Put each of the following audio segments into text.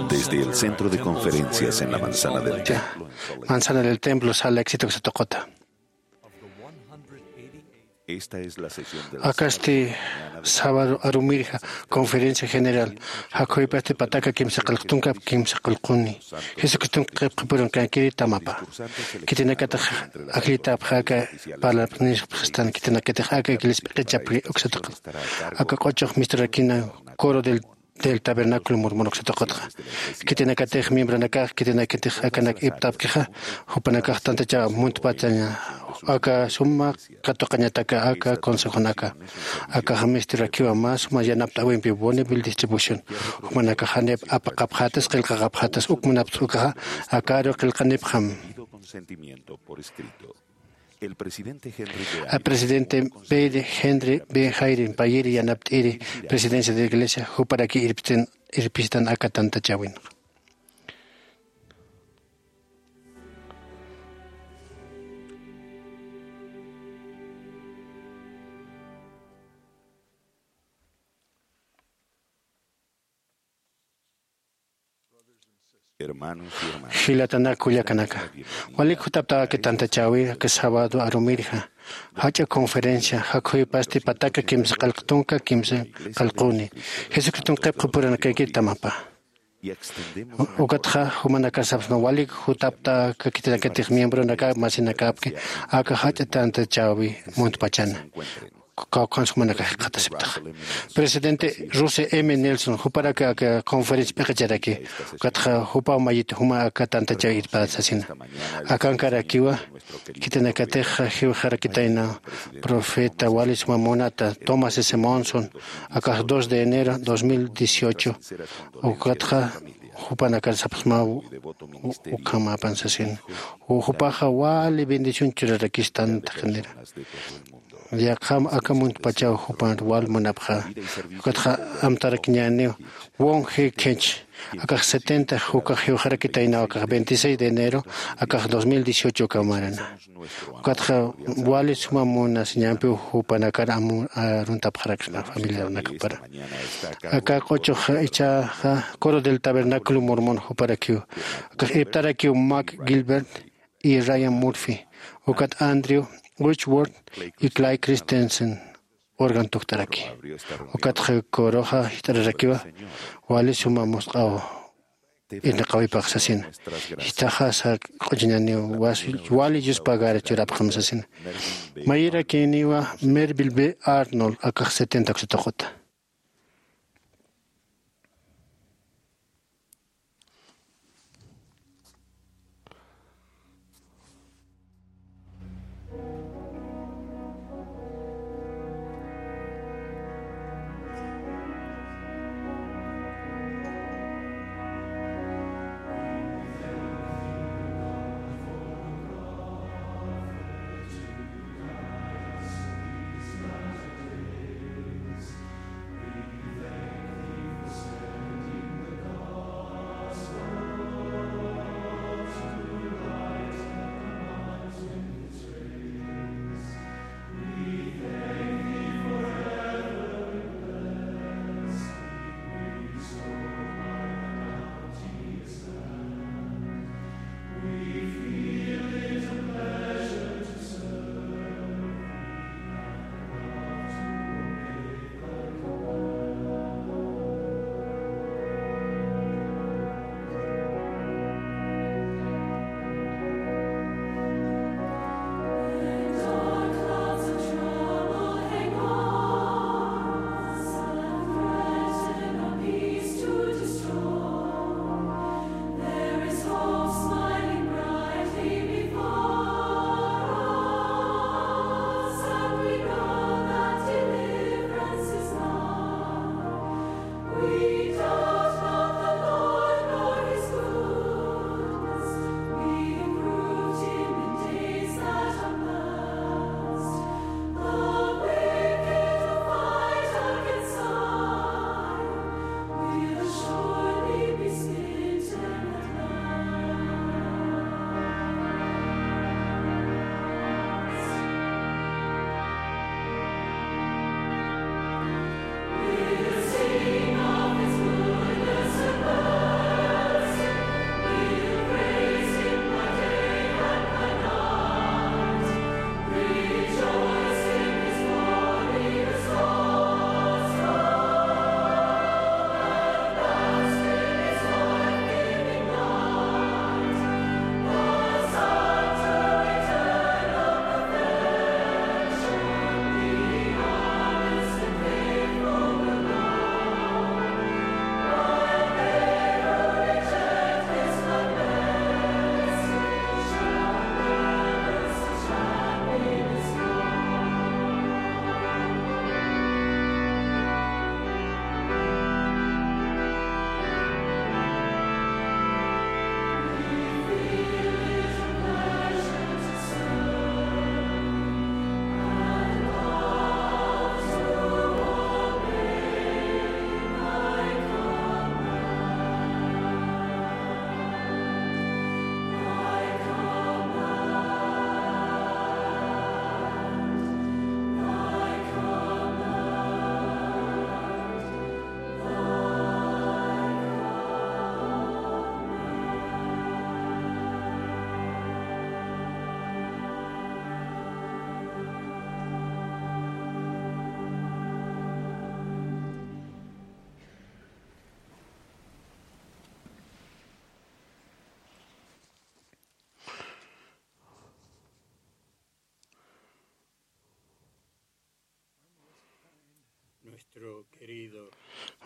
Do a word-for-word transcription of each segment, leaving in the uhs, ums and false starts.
Desde el centro de conferencias en la manzana del templo, manzana del templo sala éxito uksa tuquta. Akasti sábado arumirja conferencia general, jakhuypasti pataka kimsa qillqtunka kimsa qillquni. Jesucriston qillqapuran kankiri tamapa. Khitinakatix ajllitapxi aka parlapxnistan, khitinakatix aka iglesia p'iqichapxi uksataq. Aka q'uchux misturakina coro del del tabernáculo murmur uksataqatxa. Khitinakatix miembronakax khitinakatix akanak iptapkixa, jupanakax tantachaw muntpachaña aka suma katuqañataka aka consejonaka. Akaxa misturakiwa mä suma yanapt'äwimpi bonneville distribución. Jumanakax janip apaqapxatas qillqaqapxatas uk munapt'ukaxa akaru qillqanipxam. Presidente Henry B. Hayden payiri yanapt'iri presidencia de iglesia juparaki irpistan, irpistan aka tantachawinxa. Jilatanak kullakanaka, walik jutapta aka tantachäwi aka sábado arumirja jach'a conferencia jakhuypasti pataka kimsa qillqtunka kimsa qillquni. Jesucriston qillqapuranakayki tamapa. Ukatxa jumanakasapsma walik jutapta aka khitinakatix miembronaka masinakapki aka jach'a tantachäwi muntpachana. Kawkhansa jumanakax jikxatasiptaxa. Presidente Russell M. Nelson juparak aka conferencia p'iqicharaki. Ukatxa jupaw mayit juma aka tantachäwi irpät sasina. Akankarakiwa khitinakatix jiwxarakitayna profeta wali suma munata Thomas S. Monson, akax dos de enero dos mil dieciocho. Ukatxa jupanakar sapxsmaw ukhamapan sasina. Jupaxa wali bendición churarakistan taqinira. Yaqham aka muntpachaw jupan wal munapxa. Ukatxa amtarakiñäniw Won He Kench, akax setenta, ukax jiwxarakitaynaw akax veintiséis de enero akax dos mil dieciocho uka marana. Ukatxa wali suma munasiñampiw jupanakar aruntapxaraksna familiaranakapara. Aka q'uchux ichaxa coro del tabernáculo murmur juparakiw. Akax iptarakiw Mark Gilbert y Ryan Murphy, ukat Andrew Whitworth y Clay Christensen órgano tukt'araki. Ukatxa coroxa jist'ararakiwa wali suma musq'aw irnaqawipax sasina. Jichhaxa saq q'uchuñaniw wali yuspagar churapxam sasina. Mayirakiniwa Melville B. Arnold, akax setenta uksatuquta.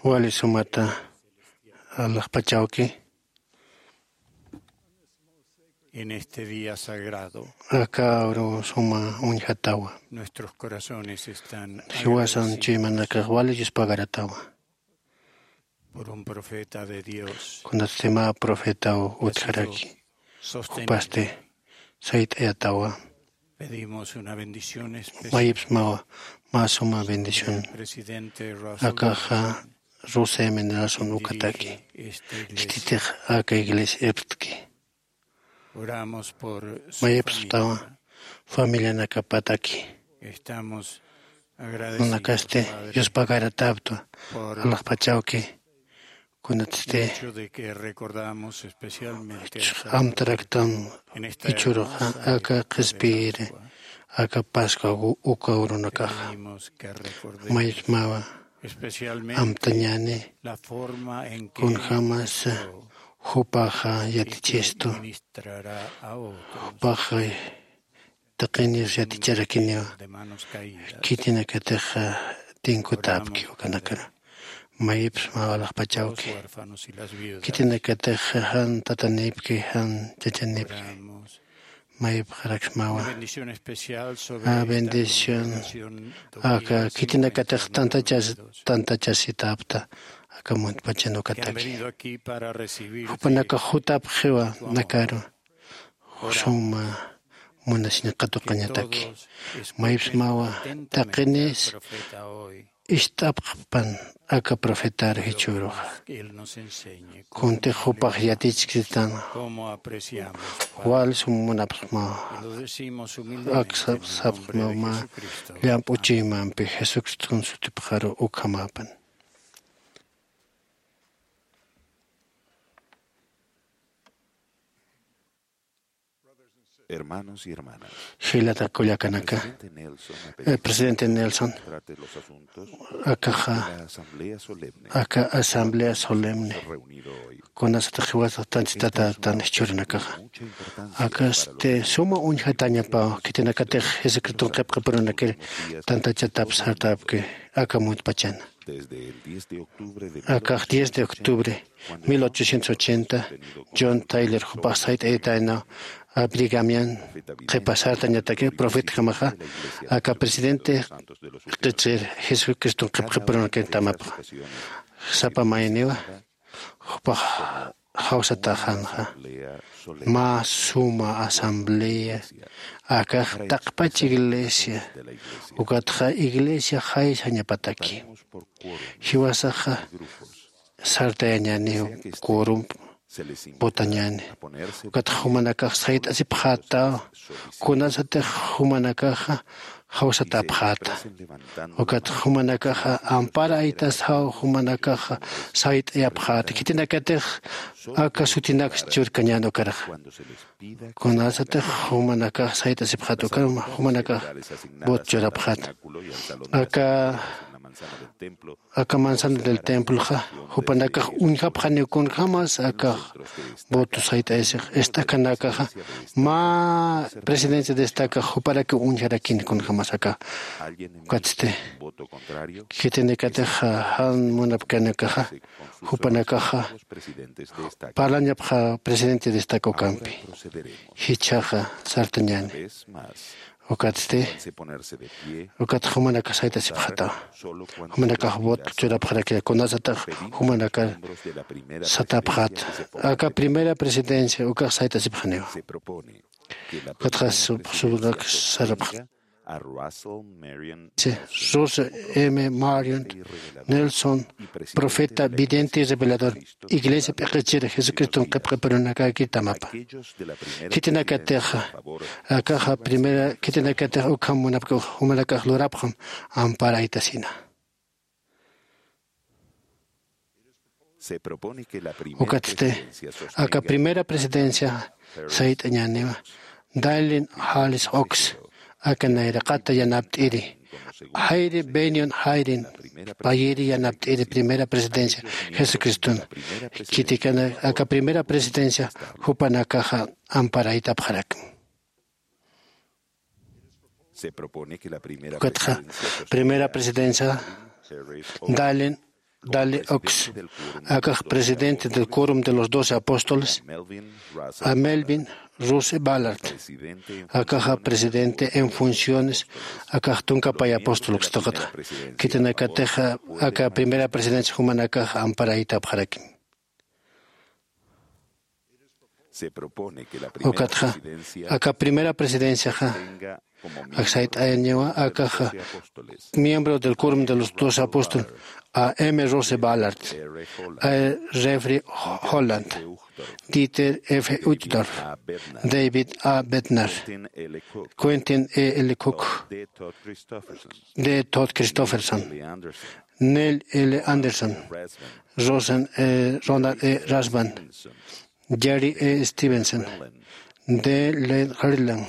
Wali sumata alaxpachawki. En este día sagrado, aka uru suma uñjatawa, nuestros corazones están jiwasan agradecidos chuymanakax wali yuspagaratawa. Por un profeta de Dios, kunatsti mä profetaw utjaraki, jupasti sayt'ayatawa. Pedimos una bendición especial. Mayipsmawa mä suma bendición. Presidente Russell, akaxa Russell M. Nelson ukataki, este iglesia, khititix aka iglesia iptki. Oramos por su, mayipstawa familia, familianakapataki. Estamos agradecidos, munakasti, Padre, yuspagarataptwa, por alaxpachawki, kunatsti, hecho de que recordamos especialmente a San, amtaraktam, en esta jichhüruxa, hermosa aka época de qhispiyiri, Pascua, aka Pascua u-, uka urunakaxa, pedimos que recordemos, mayipsmawa, especialmente, amtañäni, la forma en que kunjämas, Cristo jupaxa yatichistu, ministrará a otros. Jupaxa taqinir yaticharakiniwa. De manos caídas. Khitinakatix tinkutäpki ukanakar. Oramos, Padre, mayipsmawa alaxpachawki, por los huérfanos y las viudas, khitinakatix jan tatanïpki, jan chachanïpki. Oramos. Mayipxaraksmawa. Una bendición especial sobre, a, esta bendición, congregación, aka, domingo, khitinakatix tantachas-, tantachasitäpta aka muntpachan ukataki. Que han venido aquí para recibir, jupanakax jutapxiwa, su amor, nakaru, suma munasiñ katuqañataki. Que todos escuchen, mayipsmawa, atentamente, taqinis, al profeta hoy, ist'apxpan aka profetar jichhüruxa. Él nos enseñe cómo, kuntix jupax yatichktan, cómo apreciamos, Padre. Wal sum munapxmawa. Y lo decimos humildemente, ak sap-, en el nombre de, sapxmaw mä, Jesucristo, llamp'u chuymampi Jesucriston sutipxaru ukhamäpan. Hermanos y hermanas, jilata kullakanaka, presidente Nelson, eh, presidente Nelson, trate los asuntos, akaxa, de la asamblea solemne, aka asamblea solemne, reunido hoy, kunasatix jiwasax tantachatatätan jichhürunakaxa, mucha importancia, akasti, para los, suma uñjatañapaw, khitinakatix Jesucriston qhipqipurunakir tantachatap sartapki aka muntpachana. Akax diez de octubre mil ochocientos ochenta, John Taylor jupax sayt'ayataynaw Brigham Young qhipa sartañataki profetjamaxa, aka presidente q'ichir Jesucriston qhipqipurunakir tamapxa. Sapa mayniwa, jupax jawsatäxänxa mä suma asamblea, akax taqpach iglesia, ukatxa iglesia jaysañapataki. Jiwasaxa sartayañäniw, quorum votañäni. Ukatxa jumanakax sayt'asipxätaw, kunasatix jumanakaxa jawsatäpxäta. Ukat jumanakaxa amparaytasaw, jumanakaxa sayt'ayapxäta. Khitinakatix aka sutinaks churkañän ukarxa. Kunasatix jumanakax sayt'asipxäta, ukham jumanakax voto churapxäta. Aka, aka manzana del temploxa, jupanakax uñjapxaniw kunjämas akax voto sayt'ayasix, ist'akanakaxa mä presidencia destaca juparakiw uñjarakini kunjämas aka. Ukatsti, khitinakatix jan munapkanakaxa, jupanakaxa parlañapxa presidente destaca ukampi. Jichhaxa sartañäni. Ukatsti, ukat jumanakax sayt'asipxätawa. Jumanakax voto churapxarakira, kunasatix jumanakar satäpxäta. Aka primera presidencia ukax sayt'asipxaniwa. Ukatxa sub-, subrak sarapxäta. Russell M. Marion Nelson, profeta, vidente y revelador, iglesia p'iqichir Jesucriston qhipqipurunakakir tamapa. Khitinakatix, akaxa primera, khitinakatix ukham munapki, jumanakax lurapxam amparaytasina. Ukatsti, aka primera presidencia sayt'añäniwa Dallin Hales Oaks, aka nayraqata yanapt'iri, Hayri Bennion Hayrin, payiri yanapt'iri primera presidencia Jesucriston. Khitikana, aka primera presidencia jupanakaxa amparaytapxarakma. Ukatxa primera presidencia Dalen Dale Oaks, akax presidente del Quórum de los Doce Apóstoles, a Melvin Russell Ballard, akaxa presidente en funciones, akax tunka pay apóstol ukstaqata, khitinakatixa aka primera presidencia jumanakax amparaytapxarakim. Ukatxa aka primera presidenciaxa aksayt'añawa akaxa miembro del Quórum de los Doce Apóstoles, a M. Rose Ballard, a Jeffrey Holland, Dieter F. Uchtdorf, David A. Bednar, Quentin E. L. Cook, D. Todd Christofferson, Neil L. Anderson, Rosen, eh, Ronald E. Rasband, Jerry E. Stevenson, D. Len Harlan,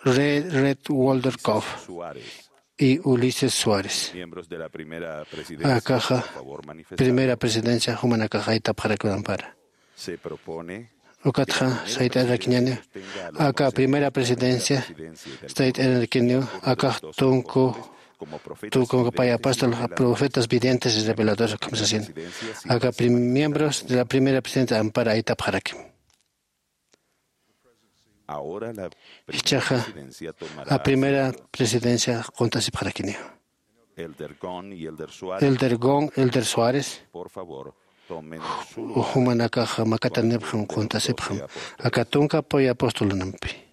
Red, Red Walter Koff y Ulises Suárez. Akaxa primera presidencia jumanakax aytapxarakiw ampara. Ukatxa sayt'arakiñäni aka primera presidencia sayt'arakiniw akax tunku tunku pay apóstol, profetas, videntes y reveladores, ukham sasin. Aka prim- miembros de la primera presidencia ampara aytapxarakim. Jichhaxa a primera presidencia qunt'asipxarakiniw. Elder Gon, Elder Suárez, jumanakax makatanipxam, qunt'asipxam aka tunka pay apostolunampi.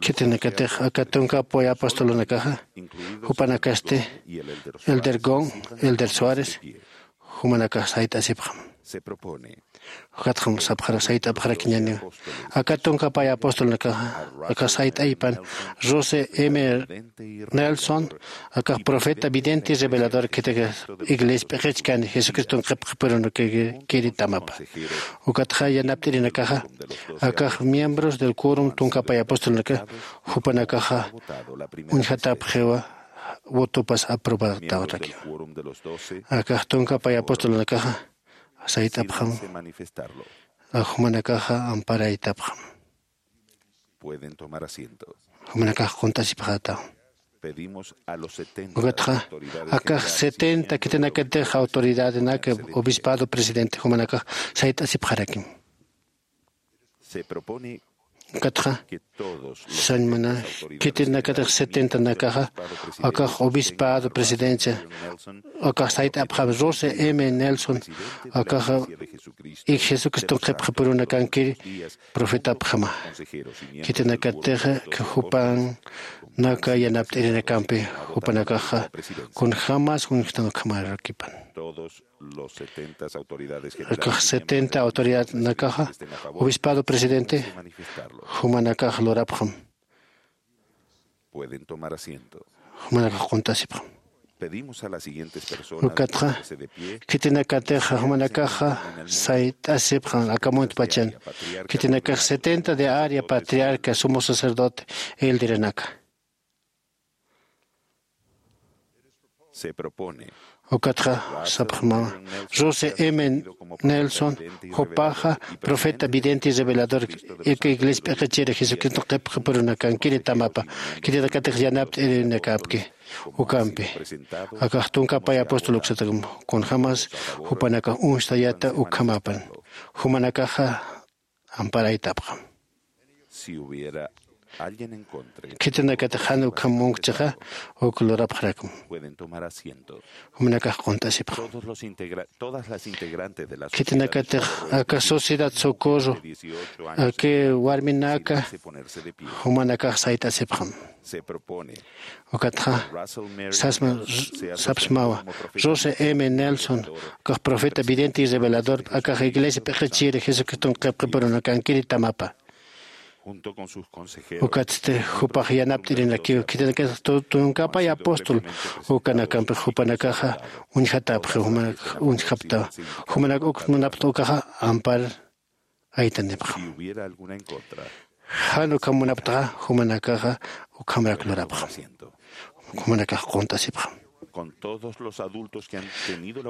Khitinakatix aka tunka pay apostolunakaxa jupanakasti Elder Gon, Elder Suárez, jumanakax sayt'asipxam. Ukatxam sapxara sayt'apxarakiñäniw aka tunka pay apostolunakaxa akax sayt'aypan Russell M. Nelson, akax profeta vidente y revelador khitikax iglesia p'iqichkani Jesucriston qhipqipurunakankiri tamapa. Ukatxa yanapt'irinakaxa akax miembros del quórum tunka pay apostolunaka jupanakaxa uñjatapxiwa votopas aprobatawatakiwa. Akax tunka pay apostolunakaxa sayt'apxam, jumanakaxa amparaytapxam. Jumanakax qunt'asipxätaw. Ukatxa akax setenta khitinakatix autoridadenak obispado presidente jumanakax sayt'asipxarakim. Ukatxa sañmana khitinakatix setentanakaxa akax obispado presidencia akax sayt'apxam Russell M. Nelson akaxa ik Jesucriston qhipqipurunakankiri profetapxama. Khitinakatixa jupanaka yanapt'irinakampi jupanakaxa kunjämas uñjtan ukhamarakipan. Los setenta autoridades generales setenta autoridadnakaxa obispado presidente jumanakax lurapxam. Pueden tomar asiento. Jumanakax qunt'asipxam. Pedimos a las siguientes personas ukatxa khitinakatix jumanakaxa sayt'asipxam aka muntpachan khitinakax setenta de área patriarca sumo sacerdote elderanaka. Ukatxa sapxmama Russell M. Nelson jupaxa profeta vidente y revelador ika iglesia p'iqichiri Jesucristo qhipqipurunakankiri tamapa khitinakatix yanapt'irinakäpki. Ukampi akax tunka pay apóstol uksatakum kunjämas jupanakax uñstayäta ukhamapan. Jumanakaxa amparaytapxam. Khitinakatix jan ukham munkchixa uk lurapxarakum. Jumanakax qunt'asipxam. Khitinakatix aka sociedad socorro aki warminaka jumanakax sayt'asipxam. Ukatxa sasma sapsmawa Russell M. Nelson akax profeta vidente y revelador akax iglesia p'iqichiri Jesucriston qhipqipurunakankiri tamapa. Ukatsti jupax yanapt'irinakiw khitinakax tunkapay apóstol ukanakampix jupanakaxa uñjatapxi, jumanak uñjapta, jumanak uk munapxta ukaxa ampar aytanipxam. Jan ukham munapxtaxa jumanakaxa ukhamrak lurapxam, jumanakax qunt'asipxam.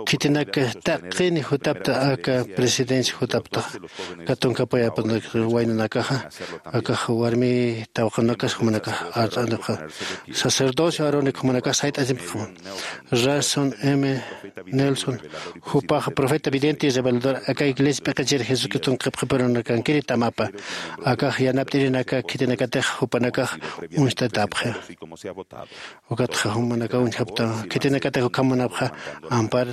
Khitinak taqini jutapta aka presidencia jutaptaxa, aka tunkapay apóstol waynanakaxa, akax warmi tawaqunakax jumanakax art'anipxa, sacerdocio Aarónico jumanakax sayt'asipxam. Russell M Nelson, jupax profeta vidente y revelador aka iglesia p'iqichir Jesucriston qhipqipurunakankiri tamapa, akax yanapt'irinaka khitinakatix jupanakax uñst'atapxi. Ukatxa jumanakax uñjapta, khitinakatix ukham munapxa ampar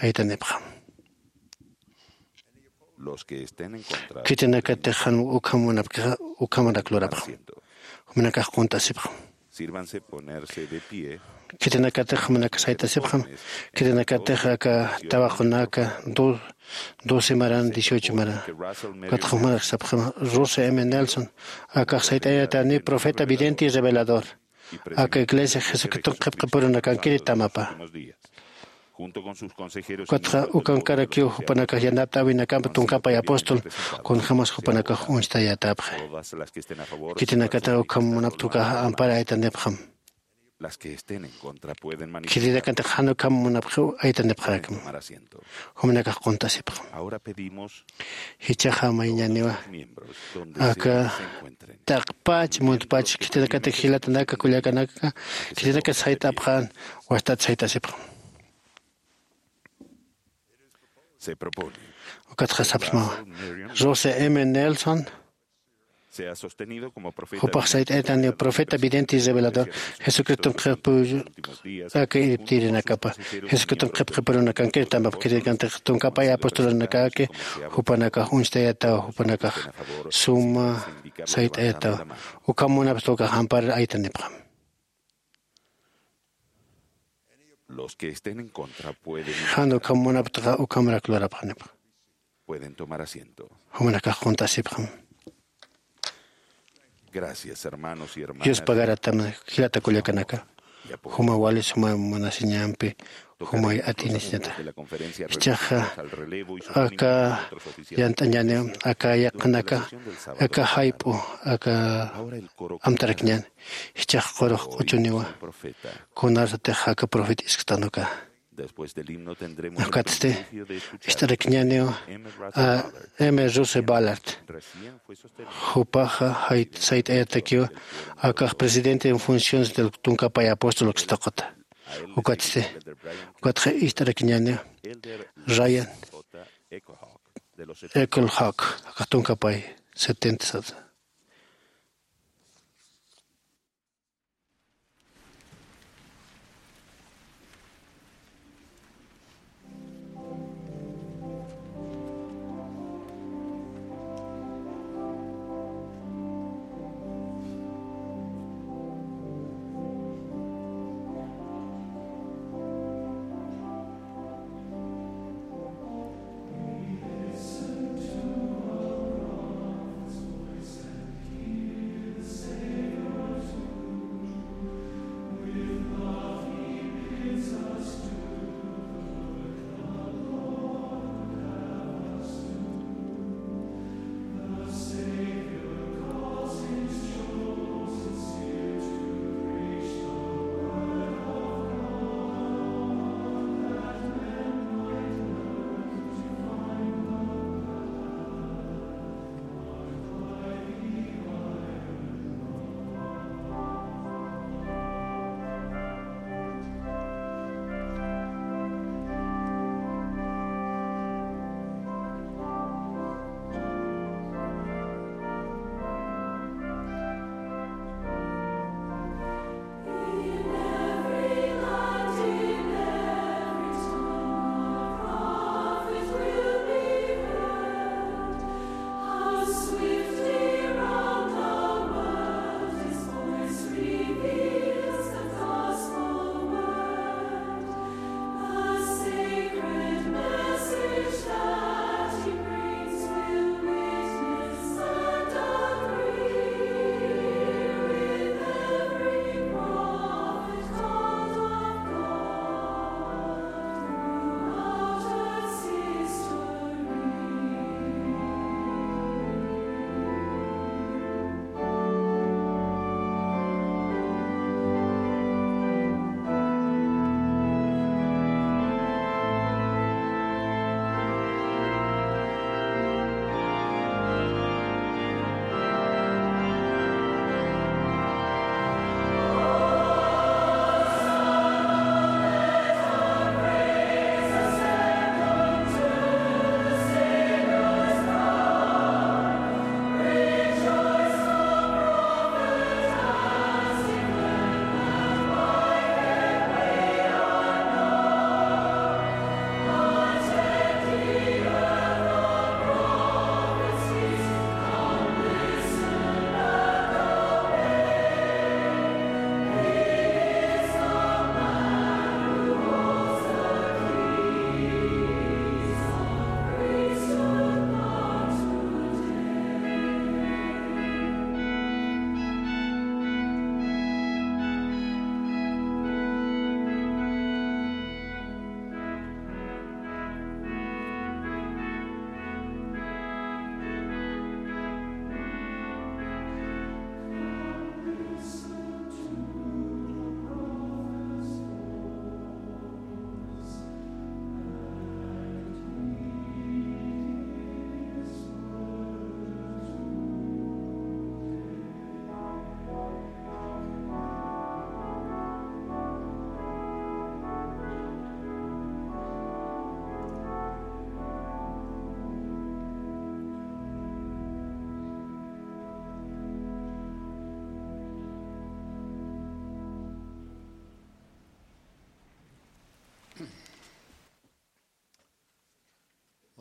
aytanipxam. Khitinakatix jan ukham munapkixa ukhamarak lurapxam, jumanakax qunt'asipxam. Khitinakatix jumanakax sayt'asipxam, khitinakatix aka tawaqunaka doce maran, dieciocho maran. Ukatxa jumanak sapxam, Russell M Nelson, akax sayt'ayatani profeta vidente y revelador aka iglesia Jesucriston qhipqipurunakankiri tamapa. Ukatxa ukankarakiw jupanakax yanapt'äwinakampi tunkapay apóstol kunjämas jupanakax uñstayätapxi. Khitinakatix ukham munapxta ukaxa ampar aytanipxam. Khitinakatix jan ukham munapxiw aytanipxarakma, jumanakax qunt'asipxam. Jichhaxa mayñäniwa aka taqpach muntpach khitinakatix jilatanaka kullakanaka khitinakatix sayt'apxän, wastat sayt'asipxam. Ukatxa sapxsmawa, Russell M Nelson jupax sayt'ayatani profeta vidente y revelador Jesucriston qhipqipurunakankiri tamapa, khitinakantix tunkapay apostolunakaki jupanakax uñstayatawa, jupanakax suma sayt'ayatawa. Ukham munapxta ukax ampar aytanipxam. Jan ukham munapxtaxa ukhamarak lurapxanipa. Jumanakax qunt'asipxam. Dios pagaratam jilata kullakanaka, juma wali suma munasiñampi, jumay atinisiñata. Jichhaxa aka yant'añäniw aka yaqhanaka, aka jayp'u aka amtarakñän. Jichhax qurux q'uchuniwa kunarsatix aka profeta isktan uka. Ukatsti ist'arakiñäniw a M Russell Ballard. Jupaxa sayt'ayatakiw akax presidente en funciones del tunkapay apóstol ukstaquta. Ukatsti ukatxa ist'arakiñäniw Ryan Echo Hawk, akax tunkapay setenta sasa.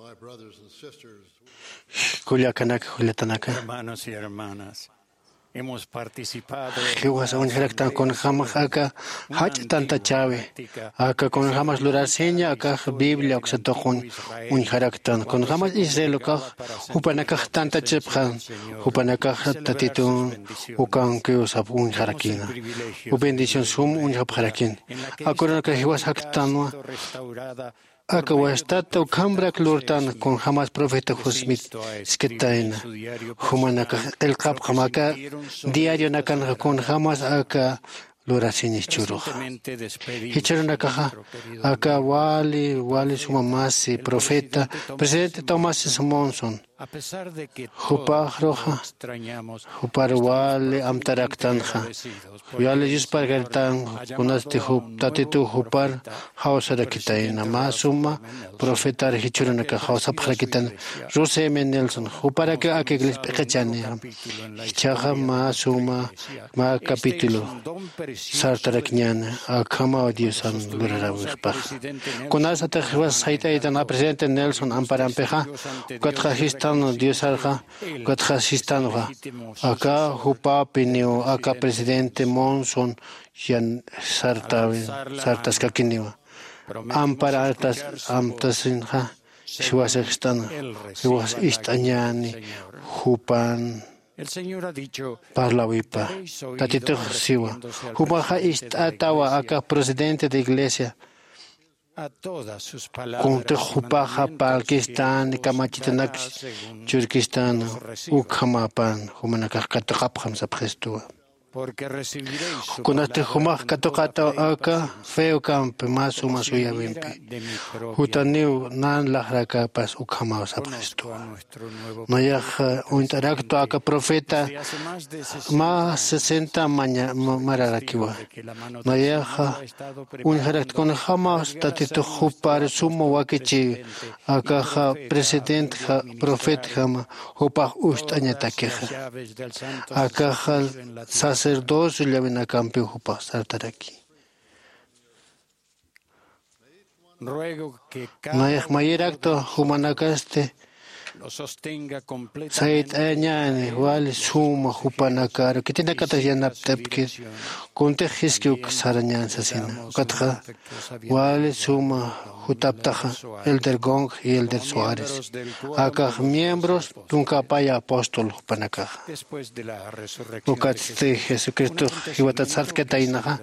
My brothers and sisters, kullakanaka, kullatanaka, hermanos y hermanas, hemos participado en jiwasa uñjaraktan kunjamax aka jach'a tantachäwi, aka kunjamas lurarsiña akax Biblia uksa tuqun uñjaraktan, kunjamas Israel ukax jupanakax tantachipxan, jupanakax Tatitun ukankiw sap uñjarakina, u bendición sum uñjapxarakina. Akurunaka jiwas jaktanwa, aka wastata ukhamrak lurtan kunjamas profeta José Smith skitayna. Jumanakax qillqapxam aka diarionakanxa kunjamas aka lurasiñis churuxa. Jichhürunakaxa aka wali, wali suma masi profeta, presidente Thomas S. Monson, jupaxruxa jupar wali amtaraktanxa, wali yusparkaritanxa, kunasti jup Tatituw jupar jawsarakitayna. Mä suma profetar jichhürunakax jawsapxarakitayna. Russell M. Nelson, juparakiw aka iglesia p'iqichäni. Jichhaxa mä suma, mä capítulo sartarakiñäni akhamaw Diosan luraräwixpaxa. Kunasatix jiwas sayt'aytan a presidente Nelson amparampixa, ukatxa sistan Diosarxa, ukatxa sistanxa, aka jupapiniw aka presidente Monson yan sartäwin, sartaskakiniwa. Ampar artas, amtasinxa, jiwasixstan, jiwas ist'añäni jupan parlawipa. Tatitux siwa, jumaxa ist'atawa aka presidente de iglesia. Kuntix jupaxa parlkistan, kamachitanak churkistan, ukhamäpan jumanakax katuqapxam sapxistuwa. Kunasti jumax katuqataw aka fe ukampi mä suma suyawimpi, jutaniw nan laxrakäpas ukhamaw sapxistuwa. Nayaxa uñt'araktu aka profeta mä sesenta maña, ma, mararakiwa. Nayaxa uñjarakta kunjämas Tatitux jupar suma wakichiw, akaxa presidentjam, profetjam, jupax ucht'añatakixa. Akaxa sacerdocio llawinakampiw jupax sartaraki. Nayax mayiraktu jumanakasti sayt'añäni wali suma jupanakaru khitinakatix yanapt'apkit, kuntix jiskiw sarañän sasina. Ukatxa wali suma jutaptaxa Elder Gong y Elder Suárez, akax miembros tunka apaya apóstol jupanakaxa. Ukatsti Jesucristox jiwatat sartkataynaxa,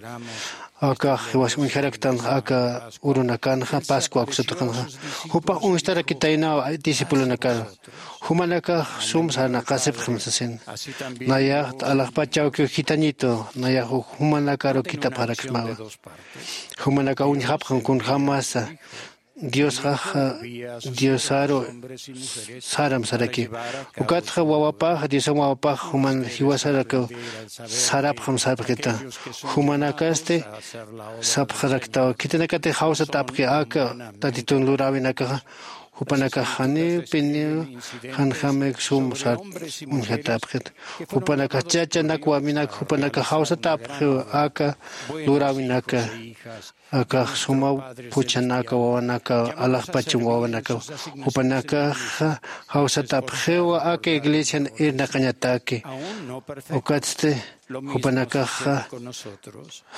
akax jiwas uñjaraktanxa aka urunakanxa, Pascua uksa tuqinxa, jupax uñstarakitaynaw discipulonakar. Jumanakax sum sarnaqasipxam sasin. Nayax alaxpach awkiw jitañitu, nayax uk jumanakaru khitapxaraksmawa. Jumanakax uñjapxam kunjämasa Diosxaxa Diosaru saram saraki. Ukatxa wawapax, Diosam wawapax juman jiwasarakiw sarapxam sarpxita. Jumanakasti sapxaraktaw, khitinakatix jawsat apxi aka Tatitun luräwinakaxa, jupanakax janiw piniw janjamik sum sar uñjatapxit. Jupanakax chachanak waminak jupanakax jawsat apxiw aka luräwinaka. Akax suma phuchhanaka wawanaka, alaxpacham wawanaka, jupanakaxa jawsatapxiwa aka iglesian irnaqañataki. Ukatsti jupanakaxa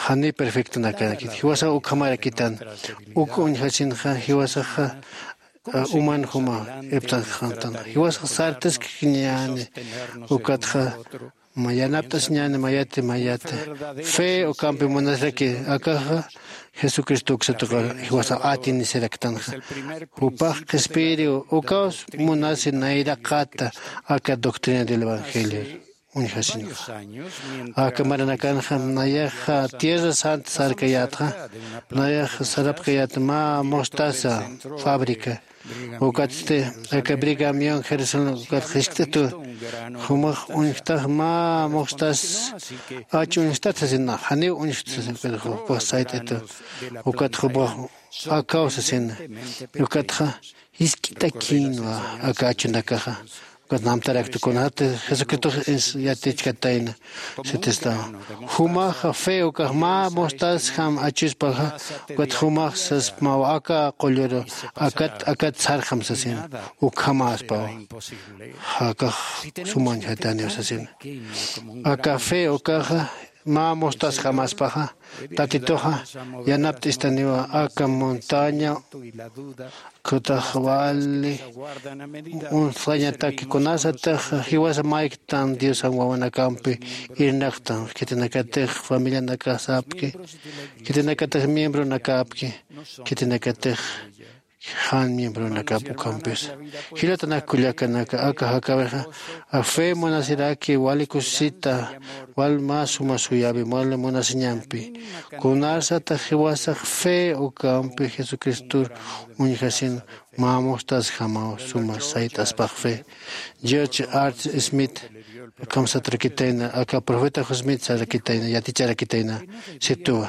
janiw perfectonakakit. Jiwasax ukhamarakitan. Uk uñjasinxa jiwasaxa, a, uman juma iptanxantan. Jiwasax sartaskiñäni, ukatxa ma yanapt'asiñäni mayati mayati. Fe ukampi munasiraki, akaxa Jesucristo uksa tuqir jiwasax atinisiraktanxa. Jupax qhispiyiriw, ukaws munasi nayraqata aka doctrina del evangelio uñjasinxa. Aka maranakanxa nayaxa Tierra Santa sarkayätxa, nayaxa sarapkayät mä mostaza fábrica. Ukatsti aka Brigham Young Jerusalén ukat jiskt'itu, jumax uñjtax mä mostaza, ach uñjtat sasin, janiw uñjta sasin, pero jupax sayt'itu. Ukat jupax akaw sasin. Ukatxa jisk'itakïnwa aka achunakaxa. Ukat namtarakta kunati Jesucristox yatichkatayna. Sitistawa, jumaxa fe ukax mä mostasjam achuspaxa. Ukat jumax sasmawa aka qulluru akat akat sarjam sasin. Ukhamäspawa, jakax sumañjataniw sasin. Aka fe ukaxa mä mostasjamaspaxa, tatituxa yanapt'istaniwa aka montaña. Kutax wali unsxañataki kunasatix jiwasa mayktan diosan wawanakampi irnaqtan, khitinakatix familianakasapki, khitinakatix miembronakapki, khitinakatix jan miembronakap ukampis. Jilatanak kullakanaka, aka jakawixa afe munasiraki wali kusisita, wal mä suma suyawi wali munasiñampi. Kunasatix jiwasax fe ukampi jesucristor uñjasin, mä mustasjamaw suma sayt'aspax fe. George Arts Smith kamsatrakitayna, aka profeta josmit sarakitayna yaticharakitayna. Situwa,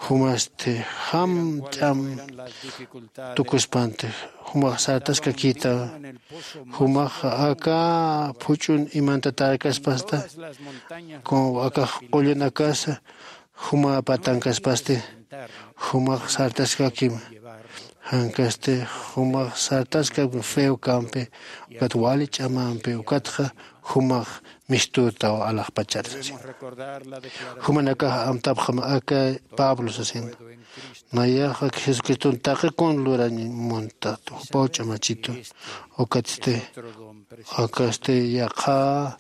jumasti jam ch'am tukuspanti, jumax sartaskakita. Jumax aka phuch'un imantatarkaspasta, como akax qullunakasa juma patankaspasti, jumax sartaskakim. Jankasti jumax sartaska feo kampi, ukat wali ch'amampi ukatxa jumax mistutaw alaxpachar sasin. Jumanakax amtapxam aka pablo sasin, nayax ak jesucriston taqi kun lurañ muntat jupaw ch'amachitu. Ukatsti akasti yaqha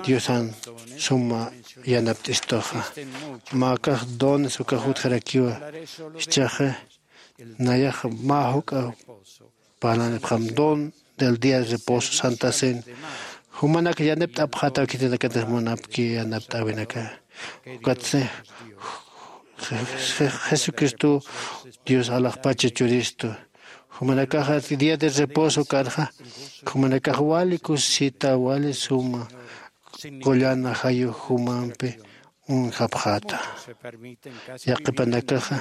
diosan suma yanapt'istuxa. Mä akax dones ukax utjarakiwa. Jichhaxa nayax mä juk'a parlanipxam don del día de reposo santa cena. Jumanak yanapt'apxataw khitinakatix munapki yanapt'äwinaka. Ukatsi jesucristo dios alaxpacha churistu. Jumanakaxa día de reposo karxa, jumanakax wali kusisita wali suma qullan ajayux jumampi uñjapxäta. Yaqhipanakaxa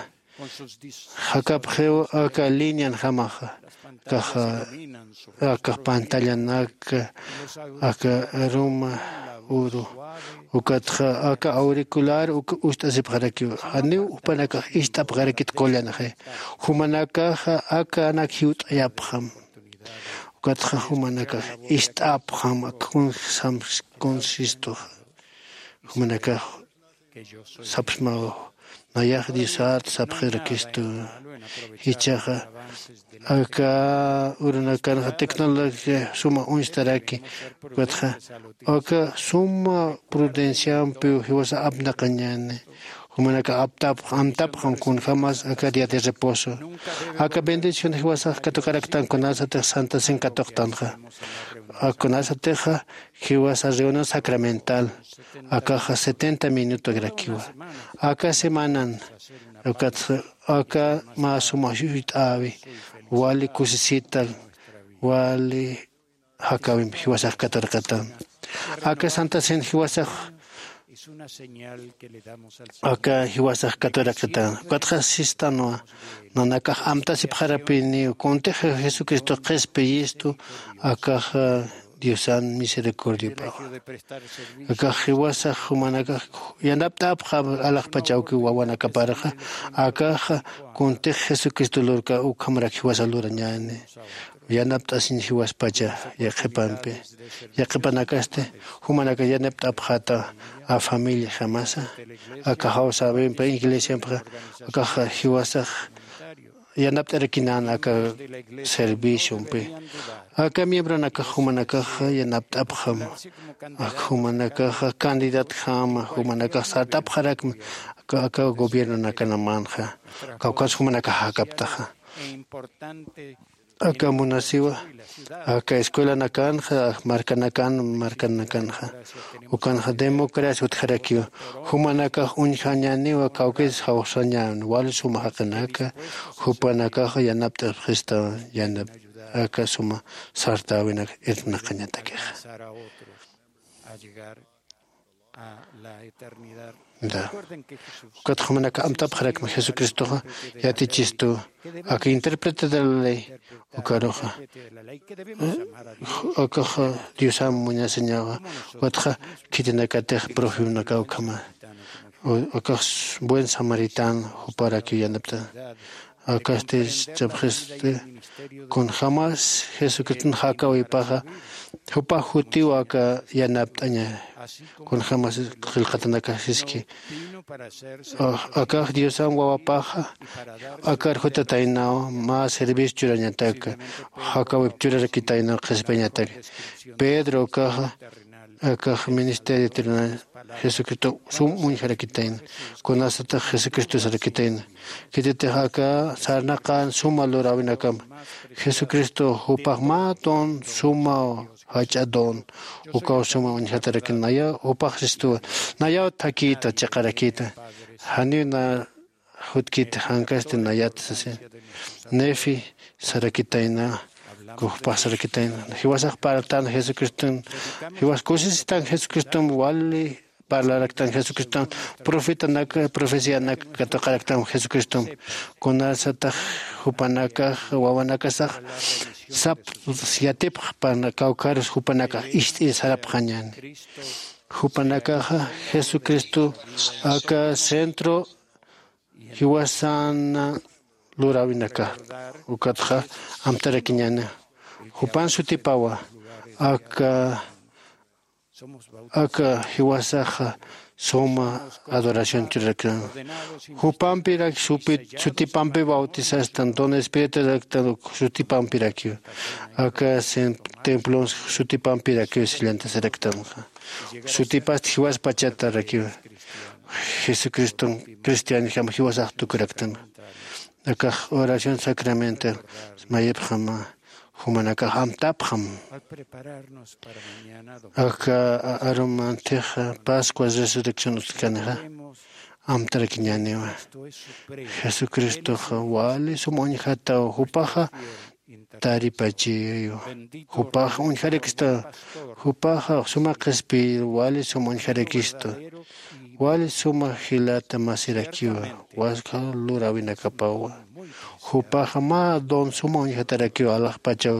jakapxiw aka lineanjamaxa, akax akax pantallanaka, aka aruma uru, ukatxa aka auricular uk ust'asipxarakiw. Janiw jupanakax ist'apxarakit qullanxi. Jumanakaxa akanak jiwt'ayapxam. Ukatxa jumanakax ist'apxam ak kunjsam kunsistuxa. Jumanakax sapsmaw, nayax diosat sapxirakistu. Jichhaxa aka urunakanxa tecnología suma uñstaraki. Ukatxa aka suma prudenciampiw jiwasa apnaqañäni. Jumanakax aptapx amtapxam kunjämas aka día de reposo. Aka bendición jiwasax katukaraktan kunasatix santa cena katuqtanxa. Ak kunasatixa jiwasa reunión sacramental akaxa setenta minutorakiwa. Aka semanan ukatxa aka mä suma juyt'äwi, wali kusisita, wali jakawimpi jiwasax katurqatan. Aka santa cena jiwasax aka jiwasax katurqatan. Ukatxa sistanwa, nanakax amtasipxarapiniw kuntix jesucristo qhispiyistu. Akaxa diosan misericordiapawa. Akax jiwasax jumanakax yanapt'apxa alaxpachawkiw wawanakaparxa. Akaxa kuntix jesucristo lurka ukhamarak jiwasa lurañäni. Yanapt'asiñ jiwaspacha yaqhipampi. Yaqhipanakasti jumanaka yanapt'apxata a familiajamasa, aka jawsäwimpi iglesiampixa. Akaxa jiwasax yanapt'arakinän aka serviciompi. Aka miembronakax jumanakaxa yanapt'apxam. Ak jumanakaxa candidatjama, jumanakax sartapxarakma aka gobiernonakanamanxa. Kawkhas jumanakax jakaptaxa. Aka munasiwa aka escuelanakanxa, markanakan markanakanxa ukanxa democracia utjarakiwa. Jumanakax uñjañäniwa kawkis jawsañän wali suma jaqinaka. Jupanakax yanapt'apxista yanap aka suma sartäwinak irnaqañatakixa. Ukatxa jumanaka amtapxarakma jesucristoxa yatichistu aka intérprete de la ley ukaruxa akaxa diosam muñasañawa. Ukatxa khitinakatix profetanaka ukhama akax buen samaritan juparakiw yanapta akasti chapxisti kunjämas jesucriston jakawipaxa jupax jutiw aka yanapt'aña kunjämas qillqatanakax siski akax diosan wawapaxa akar jutataynaw mä servicio churañataka jakawip churarakitaynaw qhispiyañataka pedro ukaxa akax ministerio terrenal jesucristo sum uñjarakitayna kunasatix jesucristo sarakitayna khititix aka sarnaqan suma luräwinakama jesucristo jupax mä don suma jach'a don ukaw suma uñjatarakin nayaw jupax sistuwa nayaw thakïta chiqarakïta janiw na jutkiti jankasti nayat sasi nefi sarakitayna jupax sarakitayna jiwasax parltan jesucriston jiwas kusisitan jesucriston wali parlaraktan jesucriston profetanak profecianak katuqaraktan jesucriston kunasatax jupanakax wawanakasax sap yatipxpan kawkharus jupanakax ist'ir sarapxañani jupanakaxa jesucristo aka centro jiwasana luräwinaka ukatxa amtarakiñäni jupan sutipawa aka aka jiwasaxa suma adoración churaraktan jupampirak sutipampi bautizastan don espirituaraktan sutipampirakiw aka templon sutipampirakiw sillantasaraktanxa sutipasti jiwaspachatarakiw jesucriston cristianjama jiwasax tukuraktan akax oración sacramental mayipxama jumanakax amtapxam aka arumantixa pascua resurrección uskanixa amtarakiñäniwa jesucristoxa wali sum uñjataw jupaxa taripachiyu jupax uñjarakista jupaxa suma qhispiy wali sum uñjarakistu wali suma jilata masirakiwa waskha luräwinakapawa jupaxa mä don suma uñjatarakiw alaxpachaw